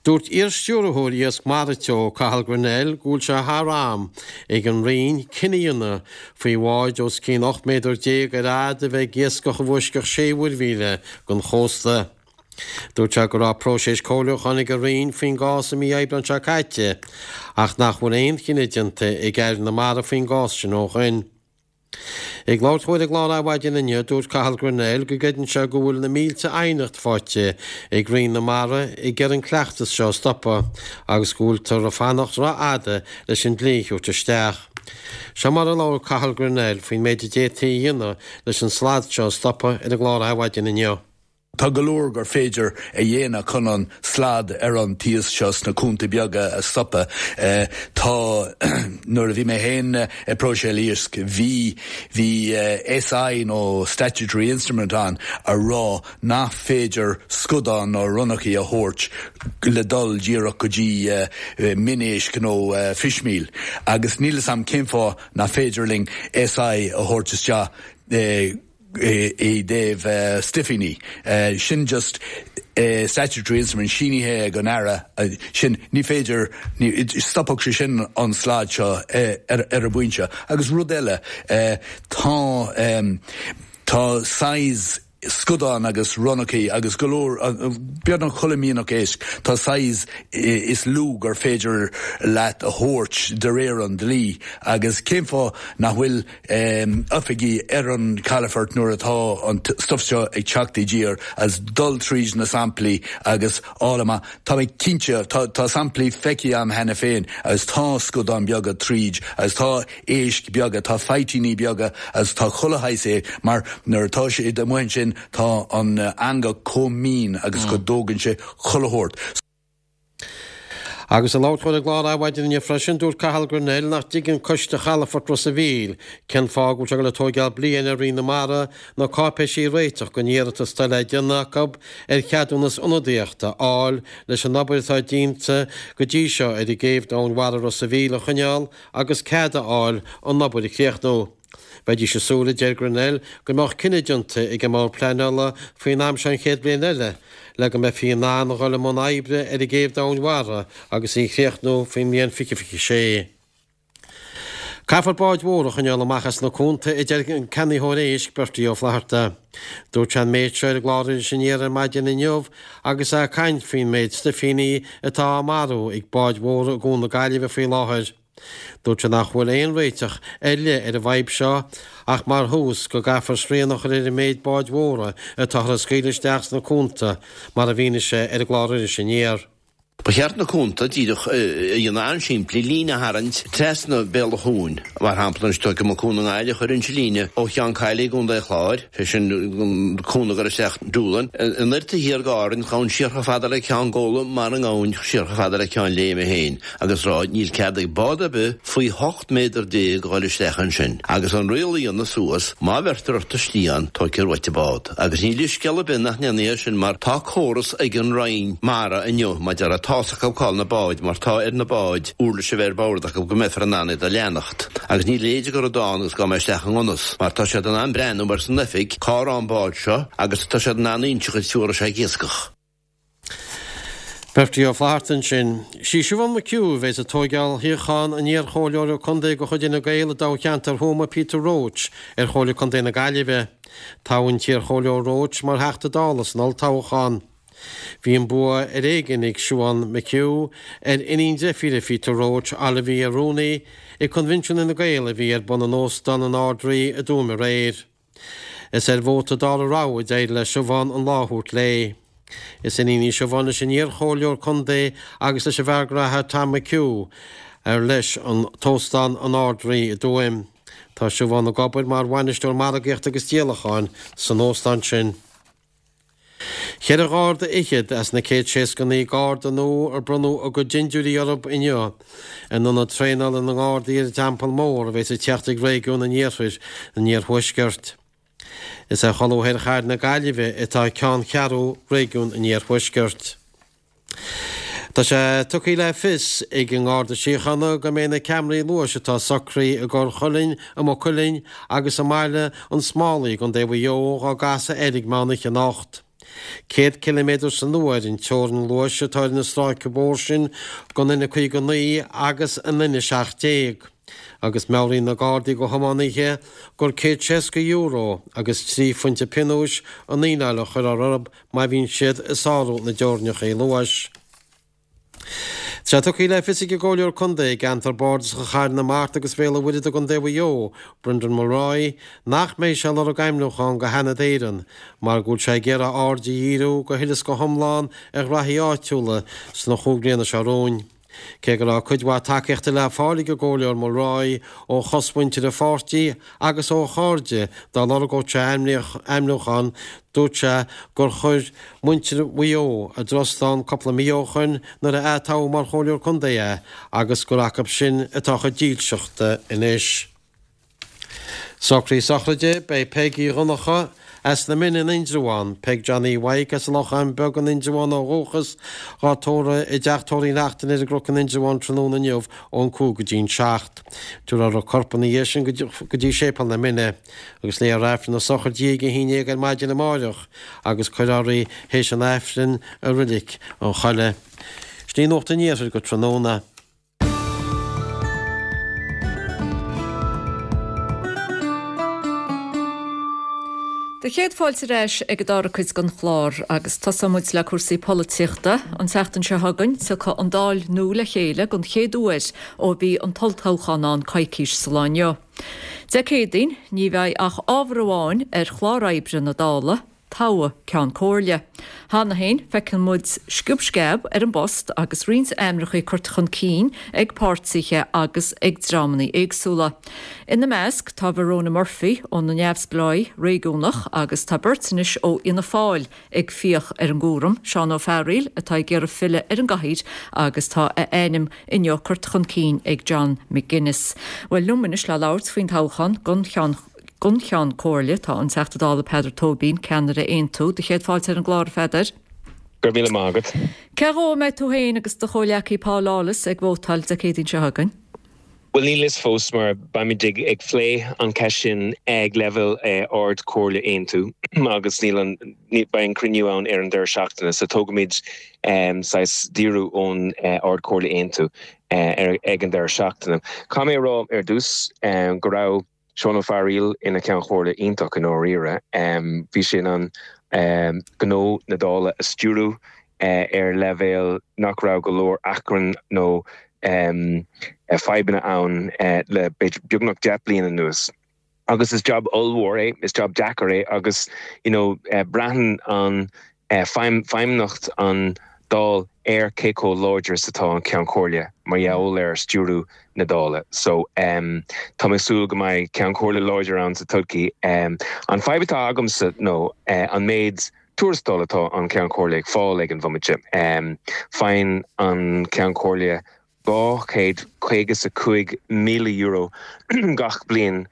Dúirt iar-stiúrthóir Iasc Mara Teo, Cathal Grennell, go bhfuil sé thar am ag an Roinn cinneadh a dhéanamh faoi bháid os cionn ocht méadar déag ar fhad a bheith ag iascach i bhfoisceacht sé mhuirmhíle den chósta. Dúirt sé go raibh próiseas comhairliúcháin ag an Roinn faoin gcás i mí Aibreáin seo caite ach nach bhfuil aon chinneadh déanta ag Aire na Mara faoin gcás sin ó shin. Ag labhairt dó ar an gclár Adhmhaidin inniu, dúirt Cathal Grennell go gcreideann sé go bhfuil na mílte aighneacht faighte ag Roinn na Mara ag iarraidh an cleachtas seo a stopadh agus go bhfuiltear ag fanacht rófhada leis an dlí a thabhairt isteach. Seo mar a labhair Cathal Grennell faoin méid a d'fhéadfaí a dhéanamh leis an slad seo a stopadh ar an gclár Adhmhaidin inniu. Tá go leor gur féidir a dhéanamh chun an slad ar an t-iasc seo sna cuanta beaga a stopadh. Tá, nuair a bhí mé féin ag próiseáil iasc, bhí, bhí SI nó Statutory Instrument ann a rá nach féidir scadán nó ronnachaí a thabhairt le dul díreach go dtí minéisc nó fishmeal. Agus níl 'fhios a'm cén fáth nach féidir linn SI a thabhairt isteach i dtaobh stuifíní. Sin just statutory instrument sínithe ag an Aire sin ní féidir, stopfadh sé sin an slad seo ar an bpointe. Agus rud eile, tá tá size scudáin agus ronnachaí agus go leor, beagnach chuile mhianach éisc, tá size is lú gur féidir leat a thabhairt de réir an dlí agus cén fáth nach bhfuil oifigí ar an calafort nuair atá an stuff seo ag teacht i dtír agus dul tríd na samplaí agus fháil amach. Tá mé cinnte, tá samplaí feicthe agam cheana féin agus tá scudáin beaga tríd agus tá éisc beaga, tá faitíní beaga agus tá chuile shaghas é mar nuair atá siad amuigh ansin tá an eangach chomh mín agus go dtógann sé chuile shórt. Agus ag labhairt dó ar an gclár Adhmhaidin inniu freisin, dúirt Cathal Grennell nach dtuigeann Coiste Chalafort Ros a' Mhíl cén fáth go bhfuil sé ag dul ag tóigeáil bliain ar Roinn na Mara na cáipéisí a réiteach don iarratas atá le déanamh acu ar cheadúnas ionadaíochta a fháil leis an obair atá déanta go dtí seo ar an gcéibh domhainmhara Ros a' Mhíl a choinneáil agus cead a fháil an obair a chríochnú. Bheidís ag súil, a deir Grennell, go mbeadh cinneadh déanta ag an mBord Pleanála faoin am seo an chéad bhliain eile le go mbeifí in ann a dhul i mbun oibre ar an gcéibh domhainmhara agus í a chríochnú faoin mbliain fiche fiche sé. Caithfear báid mhóra a choinneáil amach as na cuanta, a deir an ceannaitheoir éisc, Bertie Ó Flatharta. Dúirt sé an méid seo ar an gclár Iris Aniar ar maidin inniu agus é ag caint faoin méid stuifíní atá á marú ag báid mhóra i gCuan na Gaillimhe faoi láthair. Dúirt sé nach bhfuil aon réiteach ar leith ar an bhfadhb seo ach mar thús go gcaithfear srian a chur ar an méid báid mhóra atáthar a scaoileadh isteach sna cuanta, mar a mhínigh sé ar an gclár Iris Aniar. Ba cheart na cuanta díreach a dhéanamh an-simplí, líne a tharraingt trasna béal an chuain, mar shampla anois tógfaidh mé Cuan na nGaillimhe, chuirfinnse líne ó Cheann Caille i gContae an Chláir, sé sin an cuan ag dul isteach Doolin, anoir taobh thiar d'Árainn, gabhann siar chomh fada le Ceann Góla mara ngabhann siar chomh fada le Ceann Léime féin. agus rá níl cead ag bád ar bith faoi hocht méadar déag a dhul isteach ansin, agus an riail a dhéanamh suas, má bheirtear ort istigh ann, tóigfear uait an bád. Agus níl scéal ar bith nach ndéanfaí é sin mar tá córas ag an Roinn Mara inniu, mar déarfá, tá's acu cá bhfuil na báid mar tá ar na báid uirlis a bheith ar bord acu go mbeifear in ann iad a leanacht. Agus ní léidir go raibh dán agus gabh mé isteach i ngan fhios mar tá siad in ann breathnú mar san oifig cá raibh an bád seo agus tá siad in ann inseacht duit cá raibh sé ag iascach. Bertie Ó Flatharta ansin. Sí Siobhán McHugh a bheas ag tóigeáil shuíochán an iar-chomhairleora contae de chuid Fhine Gael i dtoghcheantar Thuama Peter Roche ar Chomhairle Contae na Gaillimhe. Toghadh an t-iar-chomhairleoir Roche mar Theachta Dála san olltoghchán. Bhí an bua ar éigean ag Siobhán McHugh ar iníon deirfíre Pheter Roche, Olivia Rooney, i Coinbhinsiún Fhine Gael a bhí ar bun in Óstán an Ard-Rí i dTuaim aréir. Is ar vóta dara rogha a d'éirigh le Siobhán an lá a thabhairt léi. Is iníon í Siobhán leis an iar-chomhairleoir contae agus leis an bhfear graithe Tom McHugh, ar leis an t-óstán an Ard-Rí i dTuaim. Tá Siobhán ag obair mar bhainisteoir margaíochta agus díolacháin san óstán sin. Ceithre gharda fhichead as na céad seasca naoi garda nua ar bronnadh a gcuid dindiúirí orthu inniu in ionad traenála na nGardaí ar an Teampall Mór a bheas ag teacht ag réigiún an iarthair, an iarthuaiscirt. Is ar cholbha thoir chathair na Gaillimhe atá ceanncheathrú réigiún an iarthuaiscirt. Tá sé tugtha le fios ag an nGarda Síochána go mbeidh na ceamaraí luais atá socraithe i gCorr Chuilinn, i Maigh Cuilinn agus i mBaile an Smálaigh i gContae Mhaigh Eo dhá gcasadh air ag meán oíche anocht. Céad ciliméadar san uair an teorainn luais atá ar na stráice bóthair sin den N caoga naoi agus an N seacht déag agus meabhraíonn na Gardaí do thiománaithe gur céad seasca euro agus trí phointe pionóis an fhíneáil a chuirfear orthu má bhíonn siad ag sárú na dteorainneacha luais. Tá sé tugtha le fios ag an gComhairleoir Contae i gceantar Bardasach Chathair na Mart agus Bhéal an Mhuirthead i gContae Mhaigh Eo, Brendan Mulroy, nach mbeidh sé ag lorg ainmniúchán go Sheanad Éireann mar go bhfuil sé ag iarraidh a aird a dhíriú go huile is go hiomlán ar ghraithí áitiúla sna chúig bliana seo romhainn. Cé go raibh cuid mhaith tacaíochta le fáil ag an gComhairleoir Mulroy ó chosmhuintir an pháirtí agus ó chairde dá lorgódh sé ainmniúchán, dúirt sé gur chuir muintir Mhaigh Eo a dtrust ann cúpla mí ó shoin nuair a atoghadh mar Chomhairleoir Contae é agus gur acu sin atá a chuid dílseachta anois. Socruithe sochraide, Beidh Peig Uí Dhonnchadha as na Mine in Indreabhán, Peig Johnny Mhaidhc as an Lochán Beag in Indreabhán ó dhúchas, dhá tórramh i dTeach Tórraimh Uí Neachtain ar an gCnoc in Indreabhán tráthnóna inniu ón cúig go dtí an seacht. Tabharfar a corp ina dhiaidh sin go dtí Séipéal na Mine agus léifear Aifreann na sochraide ag a haon déag ar maidin amáireach agus cuirfear í théis an Aifrinn i Reilig an Choilligh. Sin í Nuacht an Iarthair go tráthnóna. Do chéad fáilte ar ais ag an dara cuid den chlár agus tosóidh muid le cúrsaí polaitíochta. An tseachtain seo chugainn, tiocfaidh an Dáil nua le chéile don chéad uair ó bhí an t-olltoghchán ann coicís sa lá inniu. Dé Céadaoin, ní bheidh ach ábhar amháin ar chlár oibre na Dála, toghadh Ceann Comhairle. Cheana féin, feiceann muid sciob sceab ar an bpost agus roinnt ainmneacha curtha chun cinn ag páirtithe agus ag dreamanna éagsúla. Ina measc tá Verona Murphy ó na Neamhspleáigh Réigiúnach agus tá beirt anois ó Fhianna Fáil ag fiach ar an gcúram, Seán Ó Fearghaíl atá ag iarraidh filleadh ar an gcathaoir agus tá a ainm inniu curtha chun cinn ag John McGuinness. Bhuel liom anois le labhairt faoin toghchán don cheann don Cheann Comhairle, tá an Teachta Dála Peadar Tóibín, ceannaire Aontú. Do chéad fáilte ar an gclár, a Pheadair. Go raibh míle maith agat. Cé dhó a mbeidh tú féin agus do chomhghleacaí Paul Lawless ag vótáil Dé Céadaoin seo chugainn? Bhuel, níl a fhios fós mar beimid ag ag plé an cheist sin ag leibhéal Ard Chomhairle Aontú agus níl an beidh an cruinniú ann ar an deireadh seachtaine so tógaimid saghas díriú ón Ard Chomhairle Aontú ag an deireadh seachtaine. Caithfidh mé a rá ar dtús go raibh Seán Ó Fearghaíl ina Cheann Comhairle iontach i ndáiríre. Bhí sé in ann gnó na Dála a stiúradh ar leibhéal nach raibh go leor achrann nó fadhbanna ann le beagnach deich bliana anuas. Agus is jab ollmhór é, is jab deacair é agus you know braitheann an feidhmíocht an Dáil ar cé chomh láidir is atá an Ceann Comhairle mar gheall ar stiúradh na Dála. So tá mé ag súil go mbeidh Ceann Comhairle láidir ann sa todhchaí. An fadhb atá agamsa nó an méid tuarastal atá an Ceann Comhairle ag fáil ag an bhomaite. Faigheann an Ceann Comhairle dhá chéad caoga is a cúig míle euro gach bliain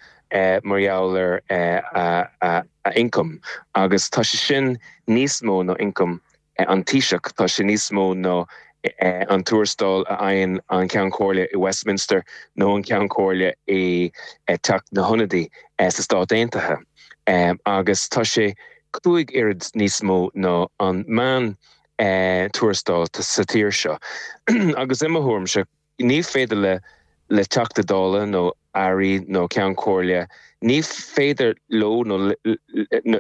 mar gheall ar a ioncam agus tá sé sin níos mó ná ioncam an Taoiseach, tá sé níos mó ná an tuarastal a fhaigheann an Ceann Comhairle i Westminster nó an Ceann Comhairle i Teach na hIonadaí sa Stát Aontaithe agus tá sé cúig oiread níos mó ná an meán tuarastal sa tír seo. Agus i mo thuairimse, ní féidir le le Teachta Dála nó Airí nó Ceann Comhairle, ní féidir leo nó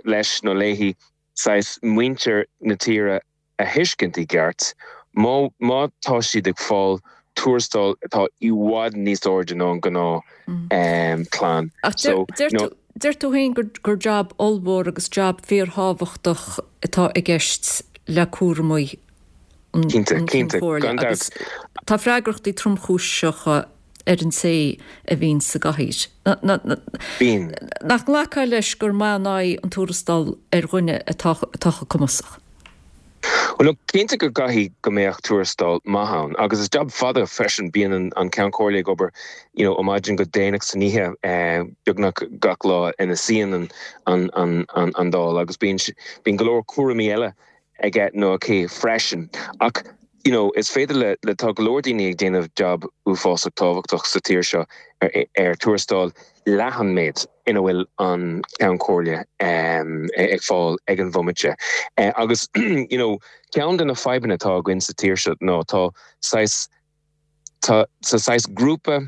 leis nó léi saghas muintir na tíre a thuiscint i gceart má má tá siad ag fáil tuarastal atá i bhfad níos airde ná an gnáth clann. Ach so, deir tú féin gur gur jab ollmhór agus jab fíorthábhachtach atá i gceist le cúramaí an Cinnte, cinnte, gan dabht. Tá freagrachtaí tromchúiseacha ar an té a bhíonn sa gcathaoir. Bíonn. Nach nglacfá leis gur maith an aghaidh an tuarastal ar dhuine atá atá cumasach? Well look, cinnte go gcaithfidh go mbeadh tuarastal maith ann agus is jab fada freisin bíonn an Ceann Comhairle ag obair you know ó maidin go déanach san oíche beagnach gach lá ina suíonn an an an an an Dáil agus bíonn bíonn go leor cúraimí eile aige nó aici freisin. Ach you know is féidir le le tá go leor daoine ag déanamh jab uafásach tábhachtach sa tír seo ar ar tuarastal leath an méid ina bhfuil an Ceann Comhairle um, ag fáil ag an bhomaite. Uh, agus you know ceann de na fadhbanna atá againn sa tír seo ná tá saghas tá sa saghas grúpa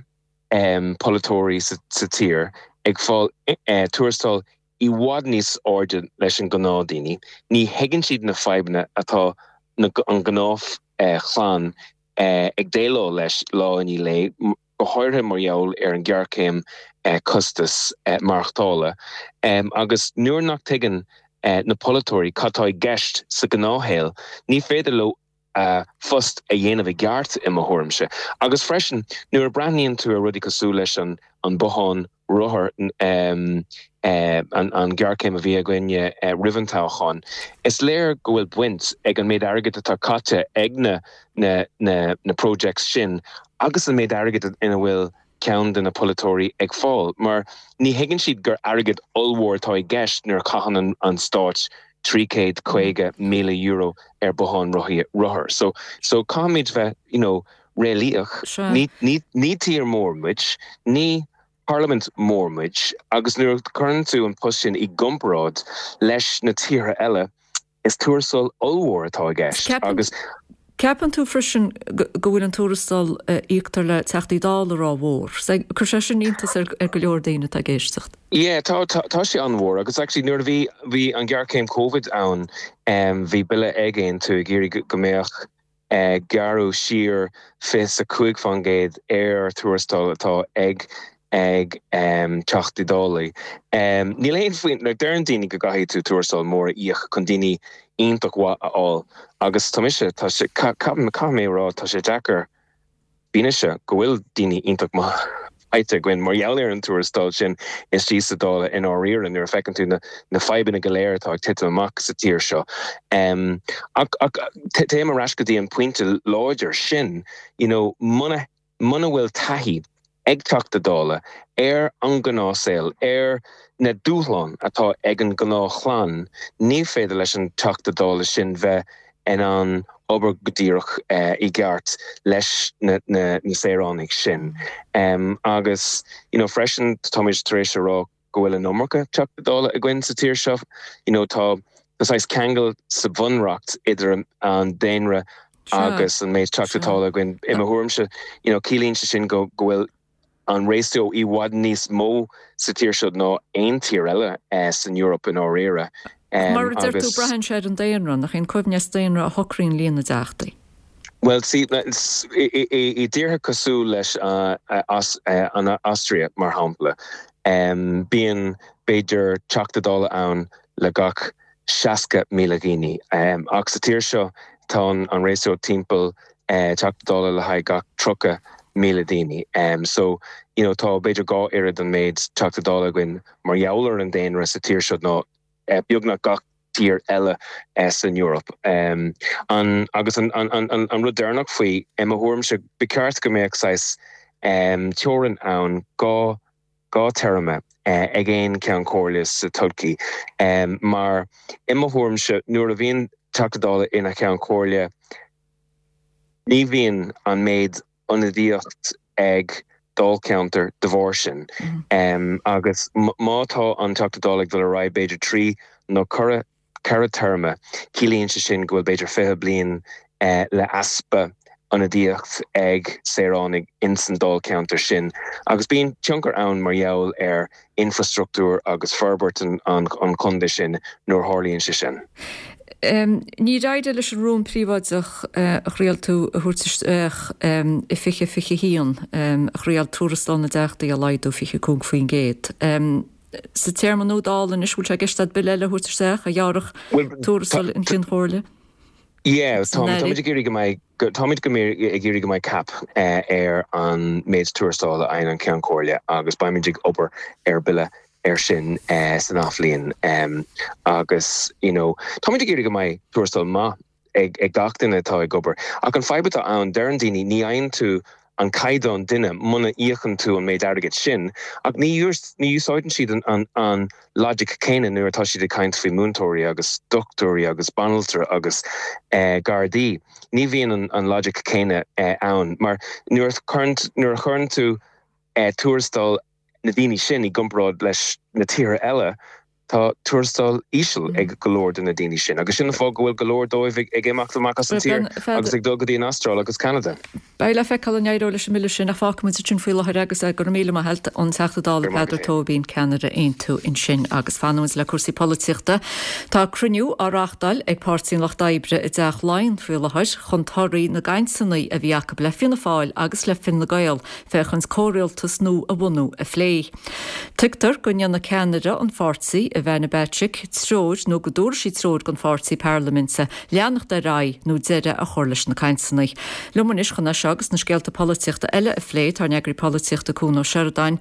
um, polaiteoirí sa, sa tír ag fáil uh, tuarastal i bhfad níos airde leis an gnáthdhaoine. Ní thuigeann siad na fadhbanna atá na, an gnáth uh, chlann uh, ag déileáil leis lá i ndiaidh lae, go háirithe mar gheall ar an ghéarchéim uh, costas uh, maireachtála. Um, agus nuair nach dtuigeann uh, na polaiteoirí cad tá i gceist sa ghnáthshaol, ní féidir leo uh, post a dhéanamh i gceart i mo thuairimse. Agus freisin nuair a breathnaíonn tú ar rudaí cosúil leis an an bothán rothar um, uh, an, an géarchéim a bhí againne uh, roimh an toghchán. Is léir go bhfuil baint ag an méid airgid atá caite ag na, na, na, na projects sin agus an méid airgid ina bhfuil ceann de na polaiteoirí ag fáil, mar ní thuigeann siad gur airgead ollmhór atá i gceist nuair a chaitheann an, an stát trí chéad caoga míle euro ar bothán rothar. So so caithfimid bheith you know, réalaíoch, ní, ní, ní tír mór muid, ní parlaimint mór muid, agus nuair a chuireann tú an post sin i gcomparáid leis na tíortha eile, is tuarastal ollmhór atá i gceist agus Ceapann tú freisin go bhfuil an tuarastal a íoctar le Teachtaí Dála rómhór. Chuir sé sin iontas ar go leor daoine atá ag éisteacht. Yeah, tá tá sé an-mhór agus actually nuair a bhí bhí an ghéarchéim Covid ann um, bhí bille ag Aontú ag iarraidh go mbeadh uh, gearradh siar fiche a cúig faoin gcéad ar tuarastal atá ag ag um, Teachtaí Dála. Um, Níl aon faoin like, deireann daoine go gcaithfidh tú tuarastal mór a íoc chun daoine iontach mhaith a fháil agus tá mise tá sé caithfidh mé rá tá sé deacair fianaise go bhfuil daoine iontach maith faighte againn mar gheall ar an tuarastal sin istigh sa Dáil i ndáiríre nuair a fheiceann tú na, na fadhbanna go léir atá ag titim amach sa tír seo. Um, ach, ach téim ar ais go dtí an pointe láidir sin, you know, muna muna bhfuil taithí ag Teachta Dála ar an ngnáthshaol, ar na dúshláin atá ag an ngnáthchlann, ní féidir leis an Teachta Dála sin bheith in ann obair go díreach uh, i gceart leis na, na, na saoránaigh sin. Um, agus you know, freisin táimid tar éis a rá go bhfuil an iomarca Teachta Dála againn sa tír seo, you know, tá tá ceangal sa bhunreacht idir an daonra agus an méid Teachta Dála againn i mo thuairimse you know, ciallaíonn sé sin go go bhfuil an ratio i bhfad níos mó sa tír seo ná aon tír eile eh, san Eoraip i ndáiríre. Um, Mar a deir tú braitheann sé ar an daonra nach an coibhneas daonra a shocraíonn líon na dteachtaí. Well see i dtíortha cosúil leis uh, as, uh, an Austria mar shampla. Um, bíonn b'fhéidir Teachta Dála ann le gach seasca míle daoine. Um, ach sa tír seo tá an ratio timpeall uh, Teachta Dála le haghaidh gach tríocha míle daoine. Um, so you know, tá b'fhéidir dhá oiread an méid Teachta Dála againn mar gheall ar an daonra sa tír seo ná uh, beagnach gach tír eile uh, san Eoraip. Um, an, agus an, an, an, an rud deireanach faoi i mo thuairimse ba cheart go mbeadh saghas um, teorainn ann dhá dhá téarma uh, ag aon Cheann Comhairle sa todhchaí. Um, mar i mo thuairimse nuair a bhíonn Teachta Dála ina Cheann Comhairle ní bhíonn an méid ionadaíocht ag dáilcheantar de bharr sin. Mm -hmm. um, agus má tá an Teachta Dála ag dul ar aghaidh b'fhéidir trí nó ceithre ceithre téarma, ciallaíonn sé sin go bhfuil b'fhéidir fiche bliain uh, le easpa ionadaíocht ag saoránaigh insan dáilcheantar sin. Agus bíonn tionchar ann mar gheall ar infrastruchtúr agus forbairt an, an, an chontae sin nuair a tharlaíonn sé sin. Um, ní raide leis an rún príobháideach uh, a thriail tú a thabhairt isteach um, i fiche fiche haon um, a thriail tuarastal na dteachtaí a laghdú fiche cúig faoin gcéad. Um, sa téarma nua Dála anois bhfuil sé i gceist agat bille eile a thabhairt isteach a ghearrfadh tuarastal an Chinn Chomhairle? Yeah, táimid ag iarraidh go mbeidh táimid go ag iarraidh go mbeidh cap uh, ar an méid tuarastal a fhaigheann an Ceann Comhairle agus beimid ag obair ar bille ar sin uh, san athbhliain um, agus you know, táimid ag iarraidh go mbeidh tuarastal maith ag, ag gach duine atá ag obair. Ach an fadhb atá ann deireann daoine ní fhaigheann tú an caighdeán duine muna íocann tú an méid airgid sin, ach ní ní úsáideann siad an, an, an logic céanna nuair atá siad ag caint faoi múinteoirí agus dochtúirí agus banaltra agus eh, gardaí. Ní bhíonn an, an logic céanna eh, ann, mar nuair nuair a chuireann tú eh, tuarastal na daoine sin i gcomparáid leis na tíortha eile, tá tuarastal íseal mm. ag go leor de na daoine sin. Agus sin an fáth go bhfuil go leor dóibh ag imeacht amach as an tír agus ag dul go dtí an Astráil agus Canada. Beidh le feiceáil an éireoidh leis an mbille sin ach fágfaimid sin faoi láthair agus go raibh míle maith agat an Teachta Dála Peadar Tóibín ceannaire Aontú ansin agus fanfaimid le cúrsaí polaitíochta. Tá cruinniú á reáchtáil ag Páirtí an Lucht Oibre i dTeach Laighean faoi láthair chun torthaí na gcainteanna a bhí acu le Fianna Fáil agus le Fine Gael féachaint comhrialtas nua a bhunú a phlé. Tuigtear go ndéanfaidh ceannaire an pháirtí Ivana Bacik treoir nó go dtabharfaidh sí treoir don pháirtí parlaiminte leanacht ar aghaidh nó deireadh a chur leis na cainteanna. Liom anois chun é seo agus na scéalta polaitíochta eile a phlé tá ár n-eagraí polaitíochta Cuan Ó Seireadáin.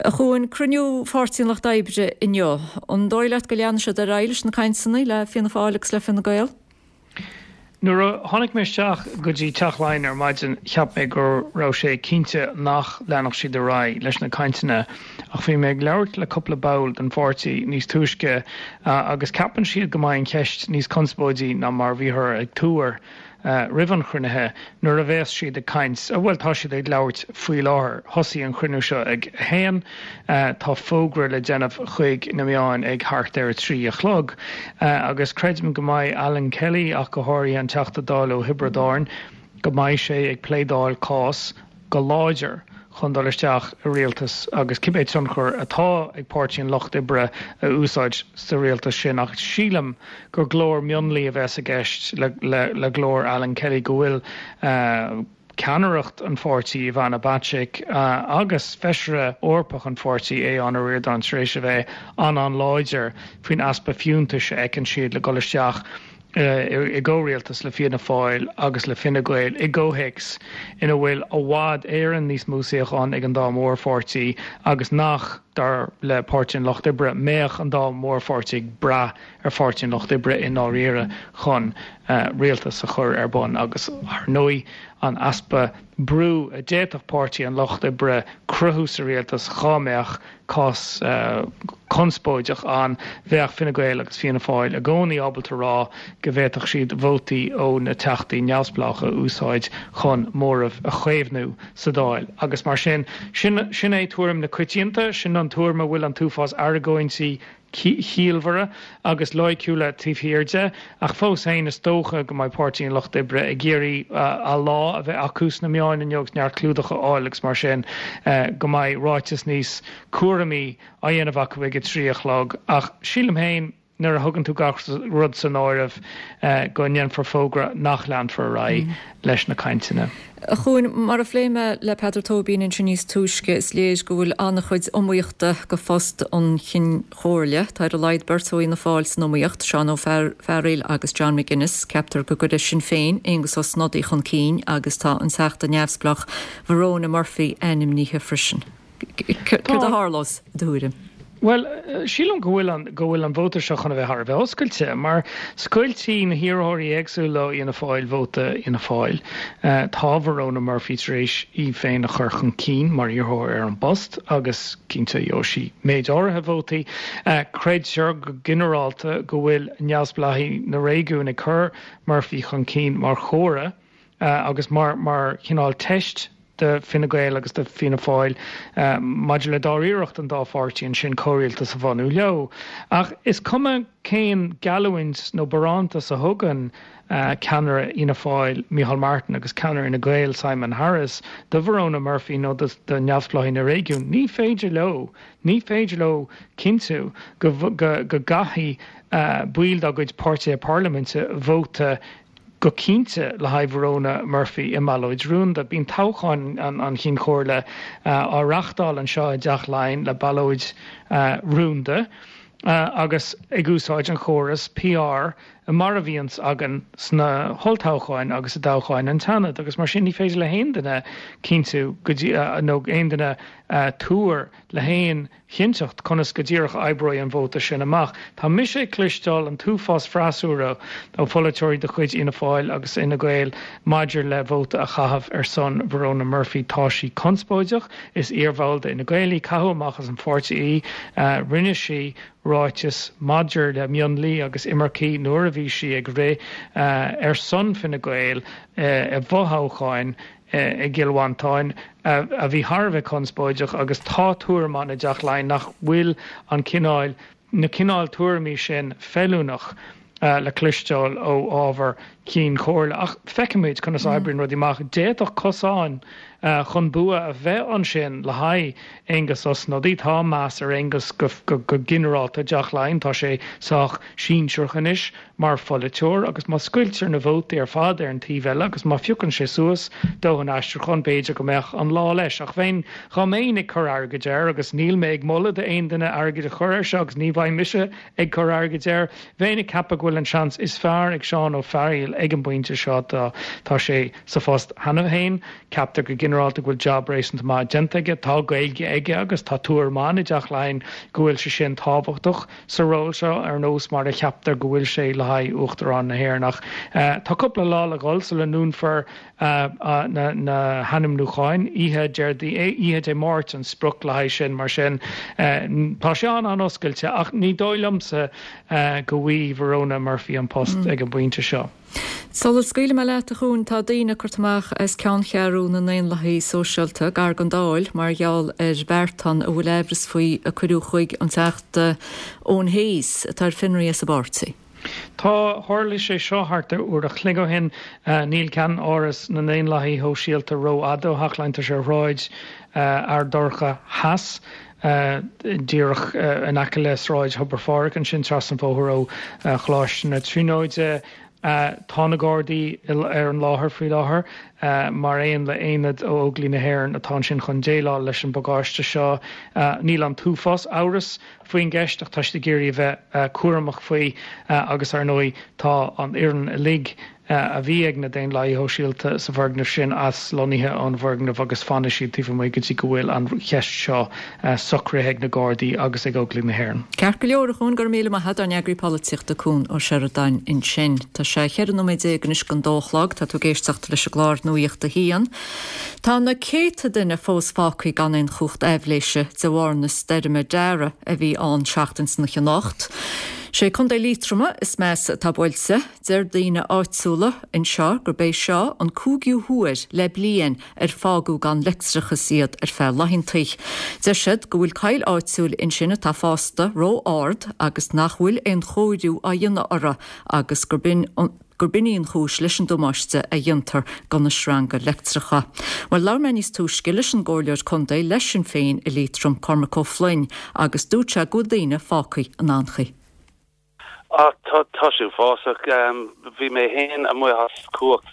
A Chuain, cruinniú Pháirtí an Lucht Oibre inniu, an dóigh leat go leanfaidh siad ar aghaidh leis na cainteanna le Fianna Fáil agus le Fine Gael? Nuair a tháinig mé isteach go dtí Teach Laighean ar maidin cheap mé go raibh sé cinnte nach leanfadh siad ar aghaidh leis na cainteanna Ach bhí mé ag labhairt le cúpla ball den pháirtí níos túisce agus ceapann siad go mbeidh an cheist níos conspóidí ná mar a bhíothar ag tuar roimh an chruinnithe nuair a bheas siad ag caint, bhuel tá siad ag labhairt faoi láthair. Thosaigh an chruinniú seo ag a haon, tá fógra le déanamh chuig na meáin ag thart ar a trí a chlog agus creidim go mbeidh Alan Kelly ach go háirithe an Teachta Dála ó Thiobraid Árann, go mbeidh sé ag pléadáil cás go láidir chun dul isteach i rialtas agus cibé tionchar atá ag Páirtí an Lucht Oibre a úsáid sa rialtas sin. Ach sílim gur glór mionlaigh a bheas i gceist le, le, le glór Alan Kelly, go bhfuil ceannaireacht an pháirtí, Ivana Bacik, agus feisire Eorpach an pháirtí, Aodhán Ó Ríordáin, tar éis a bheith an-an-láidir faoin easpa fiúntais a fheiceann siad le dul isteach i gcomhrialtas le Fianna Fáil agus le Fine Gael i gcomhthéacs ina bhfuil i bhfad Éireann níos mó suíochán ag an dá mhórpháirtí agus nach, dar le Páirtí an Lucht Oibre, mbeadh an dá mhórpháirtí ag brath ar Pháirtí an Lucht Oibre i ndáiríre chun rialtas a chur ar bun agus, ar ndóigh, an easpa brú a d'fhéadfadh Páirtí an Lucht Oibre cruthú sa rialtas dhá mbeadh cás conspóideach ann. Bheadh Fine Gael agus Fianna Fáil i gcónaí ábalta rá go bhféadfadh siad vótaí ó na teachtaí neamhspleácha a úsáid chun móramh a chaomhnú sa Dáil. Agus mar sin, sin sin é tuairim na coitianta, sin an tuairim a bhfuil an t-uafás argóintí ciallmhara agus loighciúla taobh thiar de, ach fós féin is dócha go mbeidh Páirtí an Lucht Oibre ag iarraidh a lá a bheith acu sna meáin inniu agus neart clúdach a fháil agus mar sin go mbeidh ráiteas níos cúramaí á dhéanamh acu ag a trí a chlog. Ach sílim féin, nuair a thugann tú gach rud san áireamh, go ndéanfar fógra nach leanfar ar aghaidh leis na cainteanna. A Chuain, mar a phléigh mé le Peadar Tóibín ansin níos túisce, is léir go bhfuil an-chuid iomaíochta go phost an Chinn Chomhairle. Tá ar a laghad beirt ó Fhianna Fáil san iomaíocht, Seán Ó Fearghaíl agus John McGuinness. Ceaptar go gcuirfidh Sinn Féin Aengus Ó Snodaigh chun cinn agus tá an Teachta neamhspleách Verona Murphy ainmnithe freisin. Céard a tharlós, i do thuairim? Bhuel, sílim go bhfuil an, go bhfuil an vóta seo chun a bheith thar a bheith oscailte, mar scoiltfidh na hiarrthóirí éagsúla ó Fhianna Fáil vóta Fhianna Fáil. Tá Verona Murphy tar éis í féin a chur chun cinn mar iarrthóir ar an bpost agus cinnte gheobhaidh sí méid áirithe vótaí. Creidtear go ginearálta go bhfuil neamhspleáigh na réigiún ag cur Murphy chun cinn mar chomhartha agus mar, mar chineál teist do Fine Gael agus do Fianna Fáil maidir le dáiríreacht an dá pháirtí ansin comhrialtas a bhunú leo. Ach is cuma cén geallúint nó barántas a thugann ceannaire Fhianna Fáil, Micheál Martin, agus ceannaire Fhine Gael, Simon Harris, do Verona Murphy nó do neamhspleáigh na réigiún, ní féidir leo, ní féidir leo cinntiú go gcaithfidh baill dá gcuid páirtithe parlaiminte vóta go cinnte le haghaidh Verona Murphy i mballóid rúnda. Bíonn toghchán an Chinn Chomhairle á reáchtáil anseo i dTeach Laighean le ballóid rúnda agus ag úsáid an chóras P R mar a bhíonns againn sna holltoghcháin agus i dtoghcháin an tSeanaid agus mar sin ní féidir le haon duine cinntiú go dtí nó aon duine tuar le haon chinnteacht conas go díreach a oibreoidh an vóta sin amach. Tá mise ag cloisteáil an t-uafás freasúra ó pholaiteoirí de chuid Fhianna Fáil agus Fhine Gael maidir le vóta a chaitheamh ar son Verona Murphy. Tá sí conspóideach, is iarbhall d'Fhine Gael í, caitheadh amach as an pháirtí í, rinne sí ráiteas maidir le mionlaigh agus imircigh nuair a bhí sí ag rith ar son Fine Gael i bhfothoghcháin i gCill Mhantáin a bhí thar a bheith conspóideach agus tá tuairim ann i dTeach Laighean nach bhfuil an cineál, na cineál tuairimí sin feiliúnach le cloisteáil ó ábhar Cinn Chomhairle. Ach feicfimid conas a oibríonn rudaí amach. D'fhéadfadh cosán chun bua a bheith ansin le haghaidh Aengus Ó Snodaigh. Tá meas ar Aengus go ginearálta i dTeach Laighean. Tá sé sách sinsearach anois mar pholaiteoir agus má scoiltear na vótaí ar fad ar an taobh eile agus má phiocann sé suas dóthain aistriúchán, b'fhéidir go mbeadh an lá leis. Ach bheinn, dhá mbeinn ag cur airgid air, agus níl mé ag moladh d'aon duine airgead a chur air seo agus ní bheidh mise ag cur airgid air, bheinn ag ceapadh go bhfuil an seans is fearr ag Seán Ó Fearghaíl ag an bpointe seo. Tá sé sa phost cheana féin. Ceaptar go ginearálta. ginearálta go bhfuil jab réasúnta maith déanta aige, tá Gaeilge aige agus tá tuairim ann i dTeach Laighean go bhfuil sé sin tábhachtach sa ról seo, ar nós mar a cheaptar go bhfuil sé le haghaidh Uachtarán na hÉireann. Ach tá cúpla lá le dhul sula ndúnfar na hainmniúcháin, oíche Déardaoin, oíche Dé Máirt an sprioc le haghaidh sin, mar sin tá sé an-an-oscailte ach ní dóigh liomsa go bhfaighidh Verona Murphy an post ag an bpointe seo. Sula scaoilfidh mé leat, a Chúin, tá daoine curtha amach as ceanncheathrú na nDaonlathaí Sóisialta gar don Dáil mar gheall ar bheartán a bhfuil aimhreas faoi a cuireadh chuig an Teachta Eoin Hayes, atá ar fionraí as an bpáirtí. Tá, tharla sé seo thart ar uair a chloig ó shin. Níl ceann-áras na nDaonlathaí Shóisialta rófhada ó Theach Laighean, tá sé ar Shráid Fheardorcha Theas, díreach in aice le Sráid Thobar Phádraig ansin, trasna an bhóthair ó Choláiste na Tríonóide. Tá na Gardaí ar an láthair faoi láthair, mar aon le haonad ó Óglaigh na hÉireann atá ansin chun déileáil leis an bpagáiste seo. Níl an t-uafás amhras faoin gceist ach tá siad ag iarraidh a bheith cúramach faoi agus, ar ndóigh, tá an fhoireann uilig a bhí ag na Daonlathaithe Shóisialta sa bhfoirgneamh sin aslonnaithe ón bhfoirgneamh agus fanfaidh siad taobh amuigh go dtí go bhfuil an cheist seo socraithe ag na Gardaí agus ag Óglaigh na hÉireann. Ceart go leor, a Chúin, go raibh míle maith agat, ár n-eagraí polaitíochta Cún Ó Seireadáin ansin. Tá sé cheithre nóiméad déag anois don dó a chlog, tá tú ag éisteacht leis an gclár Nuacht a hAon. Tá na céadta duine fós fágtha gan aon chumhacht aibhléise de bharr na stoirme Darragh a bhí ann seachtain san oíche anocht. Sé Contae Liatroma is measa atá buailte. Deir daoine áitiúla anseo gurb é seo an cúigiú huair le bliain ar fágadh gan leictreachas iad ar feadh laethanta. Deir siad go bhfuil coill áitiúil ansin atá fásta ró-ard agus nach bhfuil aon chóiriú á dhéanamh orthu agus gurb in gurb in í an chúis leis an damáiste a dhéantar do na sreanga leictreacha. Bhuel, labhair mé níos túisce leis an gComhairleoir Contae le Sinn Féin i Liatroim, Cormac Ó Floinn, agus dúirt sé go bhfuil daoine fágtha in anchaoi. Ah, tá tá sé uafásach. Bhí mé féin amuigh as cumhacht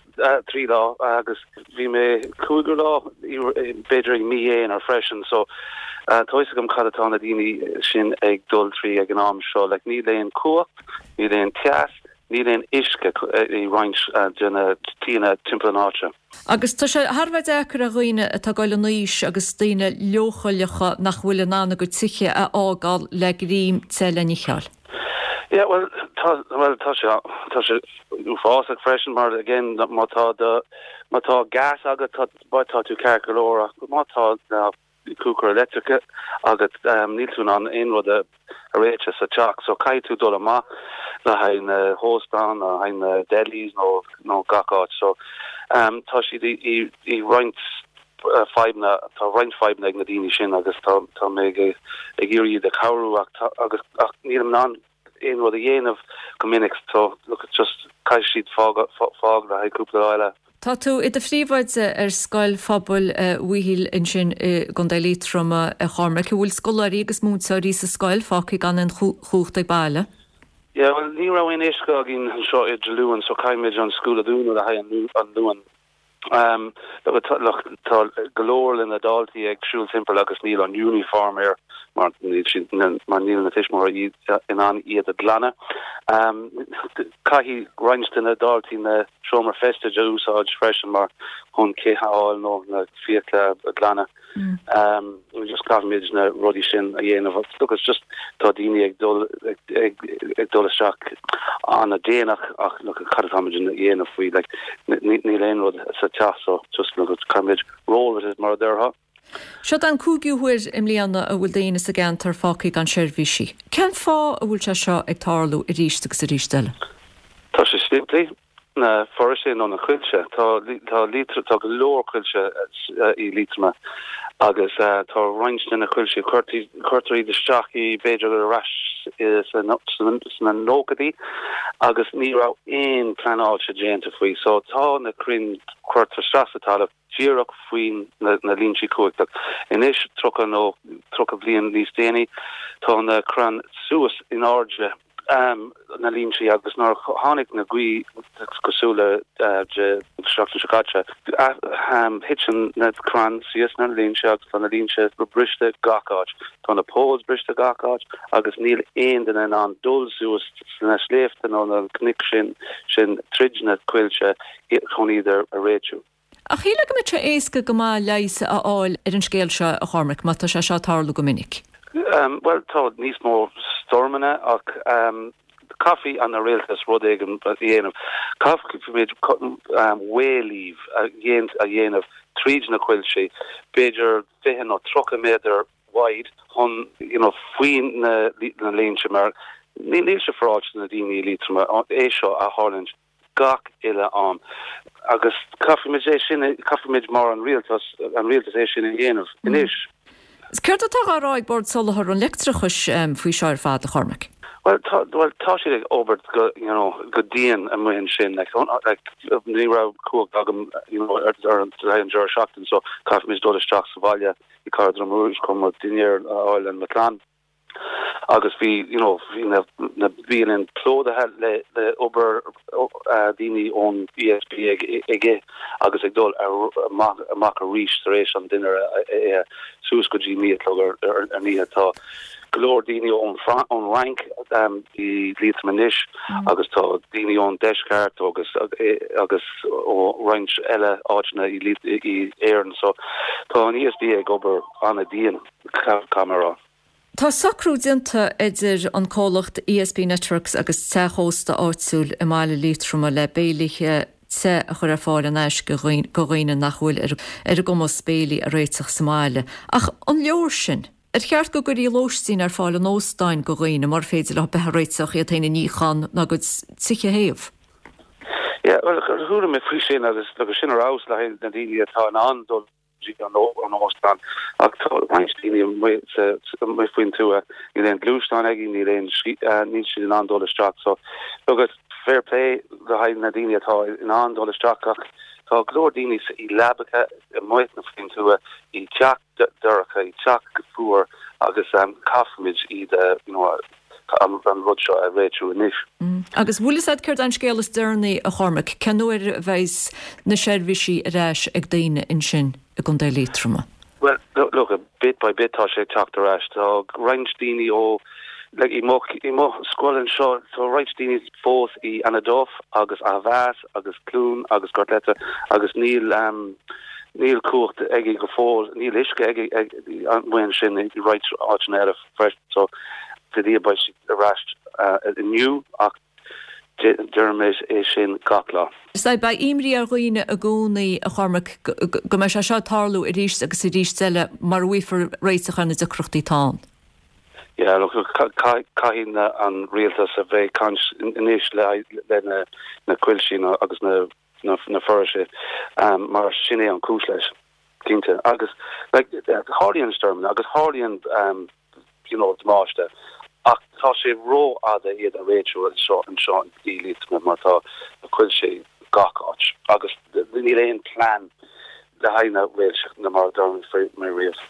trí lá agus bhí mé cúigiú lá b'fhéidir i mí Eanáir freisin so tá fhios agam cad atá na daoine sin ag dul trí ag an am seo. Like níl aon cumhacht, níl aon teas, níl aon uisce i roinnt de na tíonna timpeall an áite. Agus tá sé thar a bheith deacair ar dhaoine atá ag dul in aois agus daoine leochaileacha nach bhfuil in ann a gcuid tithe a fhágáil le greim te le n-ithe. Yeah, well, tá, well, tá sé, tá sé uafásach freisin mar again má tá do, má tá gas agat tá, tá tú ceart go leor ach má tá na cúcar leictreach agat um, níl tú in ann aon rud a a réiteach sa teach, so caithfidh tú dul amach le haghaidh na hóstán, le haghaidh na delis nó nó gach áit so um, tá siad i, i, i roinnt uh, fadhbanna tá roinnt fadhbanna ag na daoine sin agus tá tá mé ag ag iarraidh iad a chabhrú ach tá, agus ach nílim in ann aon rud a dhéanamh go minic so look it's just caithfidh siad fág fág le haghaidh cúpla lá eile. Tá tú i do phríomhoide ar Scoil Phobail Mhichíl ansin i gContae Liatroma a Chormaic. An bhfuil scoláirí agus múinteoirí sa scoil fágtha gan aon chumhacht ag baile? Yeah, well ní raibh aon uisce againn anseo idir Luan so caithfimid an school a dúnadh le haghaidh an Luan. Um, look, tá, look, tá go leor de na daltaí ag siúl timpeall agus níl an uniform air mar níl siad mar níl na tuismitheoirí in ann iad a ghlanadh. Um, caithfidh roinnt de na daltaí na seomra feistis a úsáid freisin mar chun cith a fháil nó na fiacla a ghlanadh. Mm. Um, just caithfimid na rudaí sin a dhéanamh. Look, it's just tá daoine ag dul ag, ag, ag dul isteach an-déanach ach look, cad atáimid a dhéanamh faoi like, níl aon rud sa teach so just look, caithfimid roll with it mar a déarfá. Seo an cúigiú huair i mbliana a bhfuil daoine sa gceantar fágtha gan seirbhísí. Cén fáth a bhfuil sé seo ag tarlú arís agus arís eile? Tá sé simplí na foraoisí nó na coillte tá tá Liatroim tá go leor coillte i Liatroim agus uh, tá roinnt de na coillte cuirtear iad isteach i b'fhéidir ar ais sna nóchaidí agus ní raibh aon pleanáilte déanta faoi so tá na crainn curtha isteach sa talamh díreach faoin na, na línte cumhachta. Anois tríocha nó tríocha bliain níos déanaí tá na crainn suas in airde um, na línte agus nuair tháinig na gaoth cosúil le uh, de seachtain seo caite um, thit na crainn síos na línte agus tá na línte go briste gach áit. Tá na poles briste gach áit agus níl aon duine in ann dul suas na sléibhte nó na cnoic sin sin tríd na coillte chun iad a réitiú. Ach shílfeá go mbeadh sé éasca go maith leigheas a fháil ar an scéal seo, a Chormaic, má tá sé seo ag tarlú go minic. Bhuel, tá níos mó stoirmeanna ach caithfidh an rialtas rud éigin a dhéanamh. Caithfimid wayleave a dhéanamh tríd na coillte, b'fhéidir fiche nó tríocha méadar wide chun you know faoi na na linnte mar níl sé féaráilte na daoine i Liatroma é seo a tharlúint gach uile am agus caithfimid é sin caithfimid mar an rialtas an rialtas é sin a dhéanamh anois. Céard atá á rá ag Bord Soláthair an Leictreachais faoi seo ar fad, a Chormaic? Well tá well tá siad ag obair go you know go dian amuigh ansin like like ní raibh cumhacht agam you know ar ar an deireadh seachtain so caithfimid dul isteach sa bhaile i gCathair Droma Rúis chun mo dinnéar a fháil le mo chlann. Agus bhí you know bhí na na bialanna plódaithe le le obair daoine ón E S B ag ag agus ag dul amach amach arís tar éis an dinnéar a suas go dtí naoi a chlog ar ar an oíche. Tá go leor daoine ón ón Fhrainc i Liatroim anois agus tá daoine ón deisceart agus agus ó roinnt eile áiteanna i i Éirinn so tá an E S B ag obair an-dian camera. Tá socrú déanta idir an comhlacht E S B Networks agus teach ósta áitiúil i mbaile Liatroma le béilithe te a chur ar fáil in aisce go dhaoine nach bhfuil ar ar a gcumas béilí a réiteach sa mbaile. Ach an leor sin? Ar cheart go gcuirfí lóistín ar fáil in óstáin go dhaoine mar féidir leo bheith ag réiteach iad féin a níochán ná a gcuid tithe a théamh? Yeah, well, chuala mé faoi sin agus agus sin ar fheabhas le na daoine atá in ann dul an an óstán ach tá roinnt daoine amuigh faoin tuath, níl aon gluaisteán aige, níl aon níl siad in ann dul isteach so agus fair play le haghaidh na daoine atá in ann dul isteach ach tá go leor daoine i leabacha amuigh na faoin tuath i teach dorcha, i teach fuar agus um, caithfimid iad uh, you know, an, an rud seo a réitiú anois. Mm. Agus bhfuil fhios a'd céard an scéal is deireanaí, a Chormaic, cén uair a bheidh na seirbhísí ar ais ag daoine ansin i gContae Liatroma? Well, look, look, bit by bit tá sé teacht ar ais. Tá roinnt daoine ó like, i mo i mo scoil anseo tá roinnt daoine fós i Annaduff agus Athmheas agus Cloone agus Gortletteragh agus níl um, níl cumhacht aige go fóill, níl uisce aige amuigh sin i roinnt áiteanna eile freisin so de beidh siad ar ais uh, inniu ach deirimid é sin gach lá. Is beidh imní ar dhaoine i gcónaí, a Chormaic, go mbeidh sé seo tarlú arís agus arís eile mura bhfaighfear réiteach ar na deacrachtaí atá ann. Yeah, look, caithfidh an rialtas a bheith caint anois le le na na coilltí agus na na, na foraoisí um, mar sin é an cúis leis cinnte agus like, tarlaíonn stoirm agus tarlaíonn um, you know, damáiste ach tá sé rófhada iad a réitiú anseo anseo i Liatroim mar tá na coillte gach áit agus níl aon plean le haghaidh na réilse na mar mar riamh.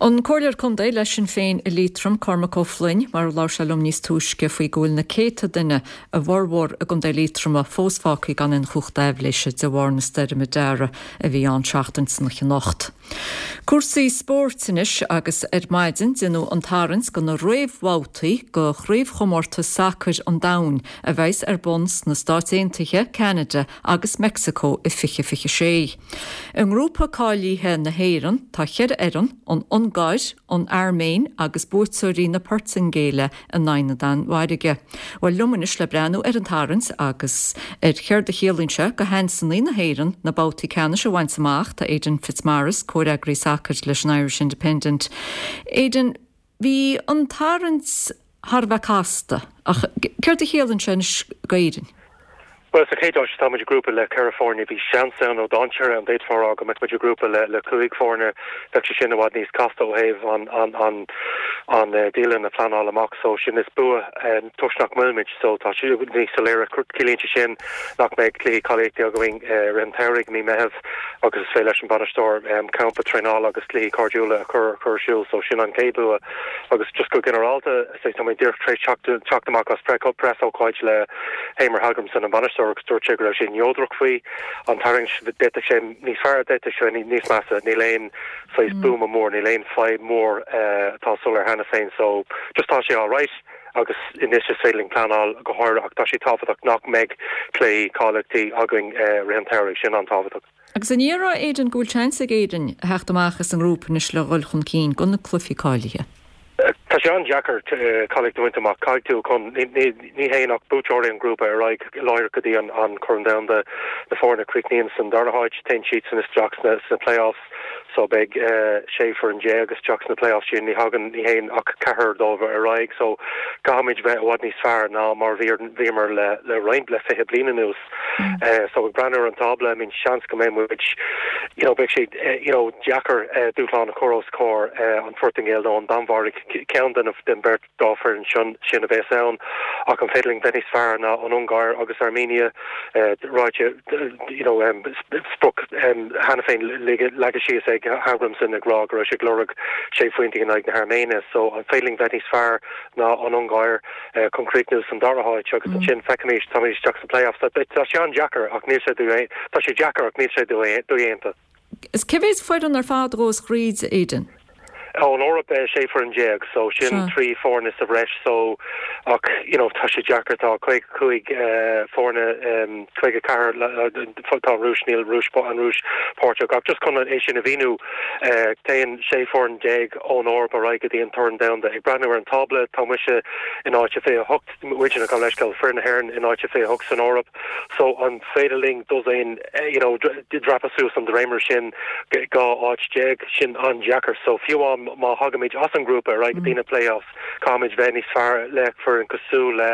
An Comhairleoir Contae le Sinn Féin i Liatroim, Cormac Ó Floinn, mar a labhair sé liom níos túisce faoi go bhfuil na céadta duine, a bhformhór i gContae Liatroma, fós fágtha gan aon chumhacht aibhléise de bharr na stoirme Dara a bhí ann seachtain san anocht. Cúrsaí spóirt anois agus ar maidin déanadh an tarraingt go na réamhbhabhtaí go chraobhchomórtas sacair an domhain a bheas ar bun sna Stáit Aontaithe, Ceanada agus Meicsiceo i fiche fiche sé. I ngrúpa cáilithe na hÉireann tá ceithre fhoireann, an Ungáir, an Airméin agus buaiteoirí na Portaingéile in aghaidh na Danmhairge. Well liom anois le breathnú ar an tarraingt agus ar céard a chiallaíonn sé go sheansanna na hÉireann na babhtaí ceannais a bhaint amach tá Aidan Fitzmaurice, comhfhreagraí sacair leis an Irish Independent. Aidan, bhí an tarraingt thar a bheith casta ach céard a chiallaíonn sé anois d'Éirinn? Well sa chéad áit tá muid i grúpa le ceithre foirne. Bhí seans ann nó dainséar ann d'fhéadfá rá go mbeadh muid i grúpa le le cúig foirne. Bheadh sé sin i bhfad níos casta ó thaobh an an an an uh, dialann a phleanáil amach so sin is bua um, toisc nach bhfuilimid so tá sé níos soiléire. Ciallaíonn sé sin nach mbeidh cluichí cáilíochta againn uh, roimh an mí Meitheamh agus is féidir leis an bainisteoir um, campa traenála agus cluichí cairdiúla a chur chur ar siúl so sin an chéad bua agus just go ginearálta tá mé díreach tar éis teacht amach as preasócáid le Heimir Hallgrímsson an bainisteoir agus dúirt sé go raibh sé neodrach faoi an tarraingt. D'fhéadfadh sé níos fearr, d'fhéadfadh sé níos measa. Níl aon saghas buama mór, níl aon fadhb mór atá soiléir cheana féin so just tá sé all right. agus anois is féidir linn pleanáil go háirithe ach tá sé tábhachtach nach mbeidh cluichí cáilíochta againn rith an tsamhraidh, sin an-tábhachtach. Agus an ndéarfá, Aidan, go bhfuil seans ag Éirinn a theacht amach as an ngrúpa anois le dhul chun cinn go na cluichí cáilithe? Tá sé an-deacair cáilíocht a bhaint amach. Caithfidh tú chun, ní théann ach buaiteoirí an ghrúpa ar aghaidh láithreach go dtí an Corn Domhanda. Na foirne a chríochnaíonn san dara háit, téann siadsan isteach sna play-offs. So beidh sé foireann déag isteach sna play-offs sin. Ní thagann, ní théann ach ceathrar dóibh ar aghaidh. So caithfimid bheith i bhfad níos fearr ná mar bhíomar le roinnt, le fiche bliain anuas. So ag breathnú ar an tábla, I mean seans go mbeidh muid, you know, beidh sé, you know, deacair dúshlán a chur os comhair an Phortaingéil nó an Danmhairg, ceann den den bheirt dá foireann sin sin a bheas ann. Ach an féidir linn bheith níos fearr ná an Ungáir agus Armenia, ráite, you know, sprioc cheana féin leagtha síos ag Hallgrímsson ag rá go raibh sé ag lorg sé phointe in aghaidh na hAirméine. So an féidir linn bheith níos fearr ná an Ungáir chun críochnú san dara háit agus ansin feicfimid, táimid isteach sna playoffs. Tá sé an-deacair ach níl sé tá sé deacair ach níl sé dodhéanta. Is cé mhéad foireann ar fad a ghabhas thríd, Aidan? Ón Eoraip sé foireann déag so sin trí foirne sa bhreis so ach you know tá sé deacair tá caoga cúig foirne caoga ceathair tá an Rúis níl Rúis an Rúis páirteach ach just chun é sin a mhíniú téann sé foireann déag ón Eoraip ar aghaidh go dtí an Corn Domhanda. Ag breathnú ar an tábla tá mise in áit a fiche a hocht muidne gabh mo leithscéal foireann na hÉireann in áit a fiche a hocht san Eoraip so an féidir linn dosaen you know dreapadh suas an dréimire sin dhá áit déag sin an-deacair so fiú amháin má thagaimid as an ngrúpa ar aghaidh go dtí na playoffs caithfimid bheith níos fearr le foireann cosúil le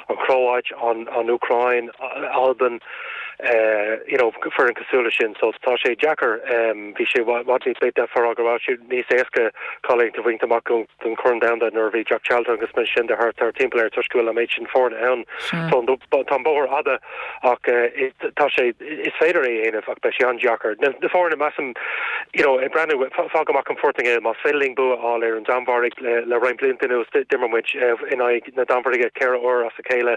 an Chróit an an Úcráin Albain you know foireann cosúil leis sin so tá sé deacair bhí sé i bhfad níos d'fhéadfá a rá go raibh sé níos éasca cáilíocht a bhaint amach don Chorn Domhanda nuair a bhí Jack Charlton agus mar sin de thart thart timpeall air toisc go bhfuil an méid sin foirne ann so tá an bóthar fhada ach tá sé is féidir é a dhéanamh ach beidh sé an-deacair. Na foirne measaim you know ag breathnú fág amach an Phortaingéil más féidir linn bua a fháil ar an Danmhairg le le roinnt blianta anuas d'imir muid in aghaidh na Danmhairge ceithre uair as a chéile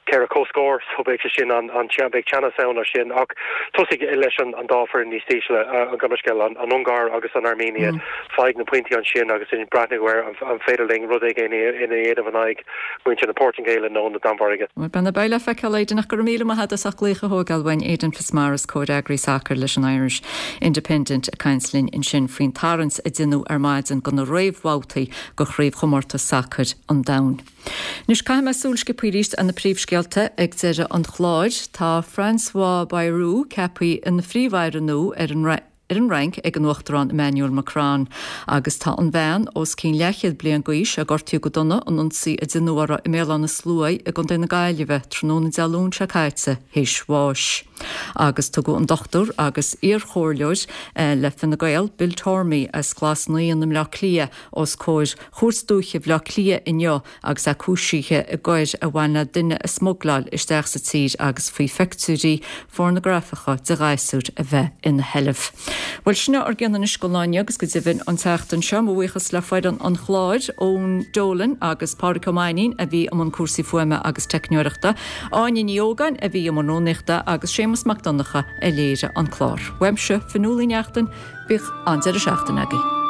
ceithre comhscór so beidh sé sin an an beidh teannas ann as sin ach tosaigh leis an an dá foireann níos ísle gabh mo leithscéal an an Ungáir agus an Armenia faigh na pointí ansin agus sin breathnú ar an an féidir linn rud éigin a dhéanamh in aghaidh muintir na Portaingéile nó na Danmhairge. Beidh beidh le feiceáil Aidan ach go raibh míle maith agat as ucht glaoch a thógáil uainn Aidan Fitzmaurice comhfhreagraí sacair leis an Irish Independent ag caint linn ansin faoin tarraingt a deineadh ar maidin do na réamhbhabhtaí do chraobhchomórtas sacair an domhain. Anois caithfidh mé súil sciobtha arís ar na príomhscéalta ag deireadh an chláir. Tá François Bayrou ceaptha ina phríomh-aire nua ar an ar an Fhrainc ag an Uachtarán Emmanuel Macron agus tá an bhean os cionn leathchéad bliain d'aois a gortaíodh go dona in ionsaí a deineadh uirthi i mBéal Átha na Sluaighe i gContae na Gaillimhe tráthnóna Dé Luain seo caite théis bháis. Agus tugadh an dochtúir agus iarchomhairleoir le Fine Gael, Bill Tormey as Glas Naíon i mBleá Cliath os comhair Chúirt Dúiche Bhaile Átha Cliath inniu agus é cúisithe i gcoir a bhain le duine a smugláil isteach sa tír agus faoi phictiúirí phornagrafacha de ghasúir a bheith ina sheilbh. Bhuel sin ár gcion anois don lá inniu agus go deimhin an tseachtain seo mo bhuíochas le foireann an chláir Eoin Dolan agus Pádraig Ó Mainnín a bhí i mbun cúrsaí fuaime agus teicneoireachta, Áine Ní Ógáin a bhí i mbun rúnaíochta agus Séamus Mac Donncha a léirigh an clár. Uaimse, Fionnuala Ní Neachtain, bíodh an-deireadh seachtaine agaibh.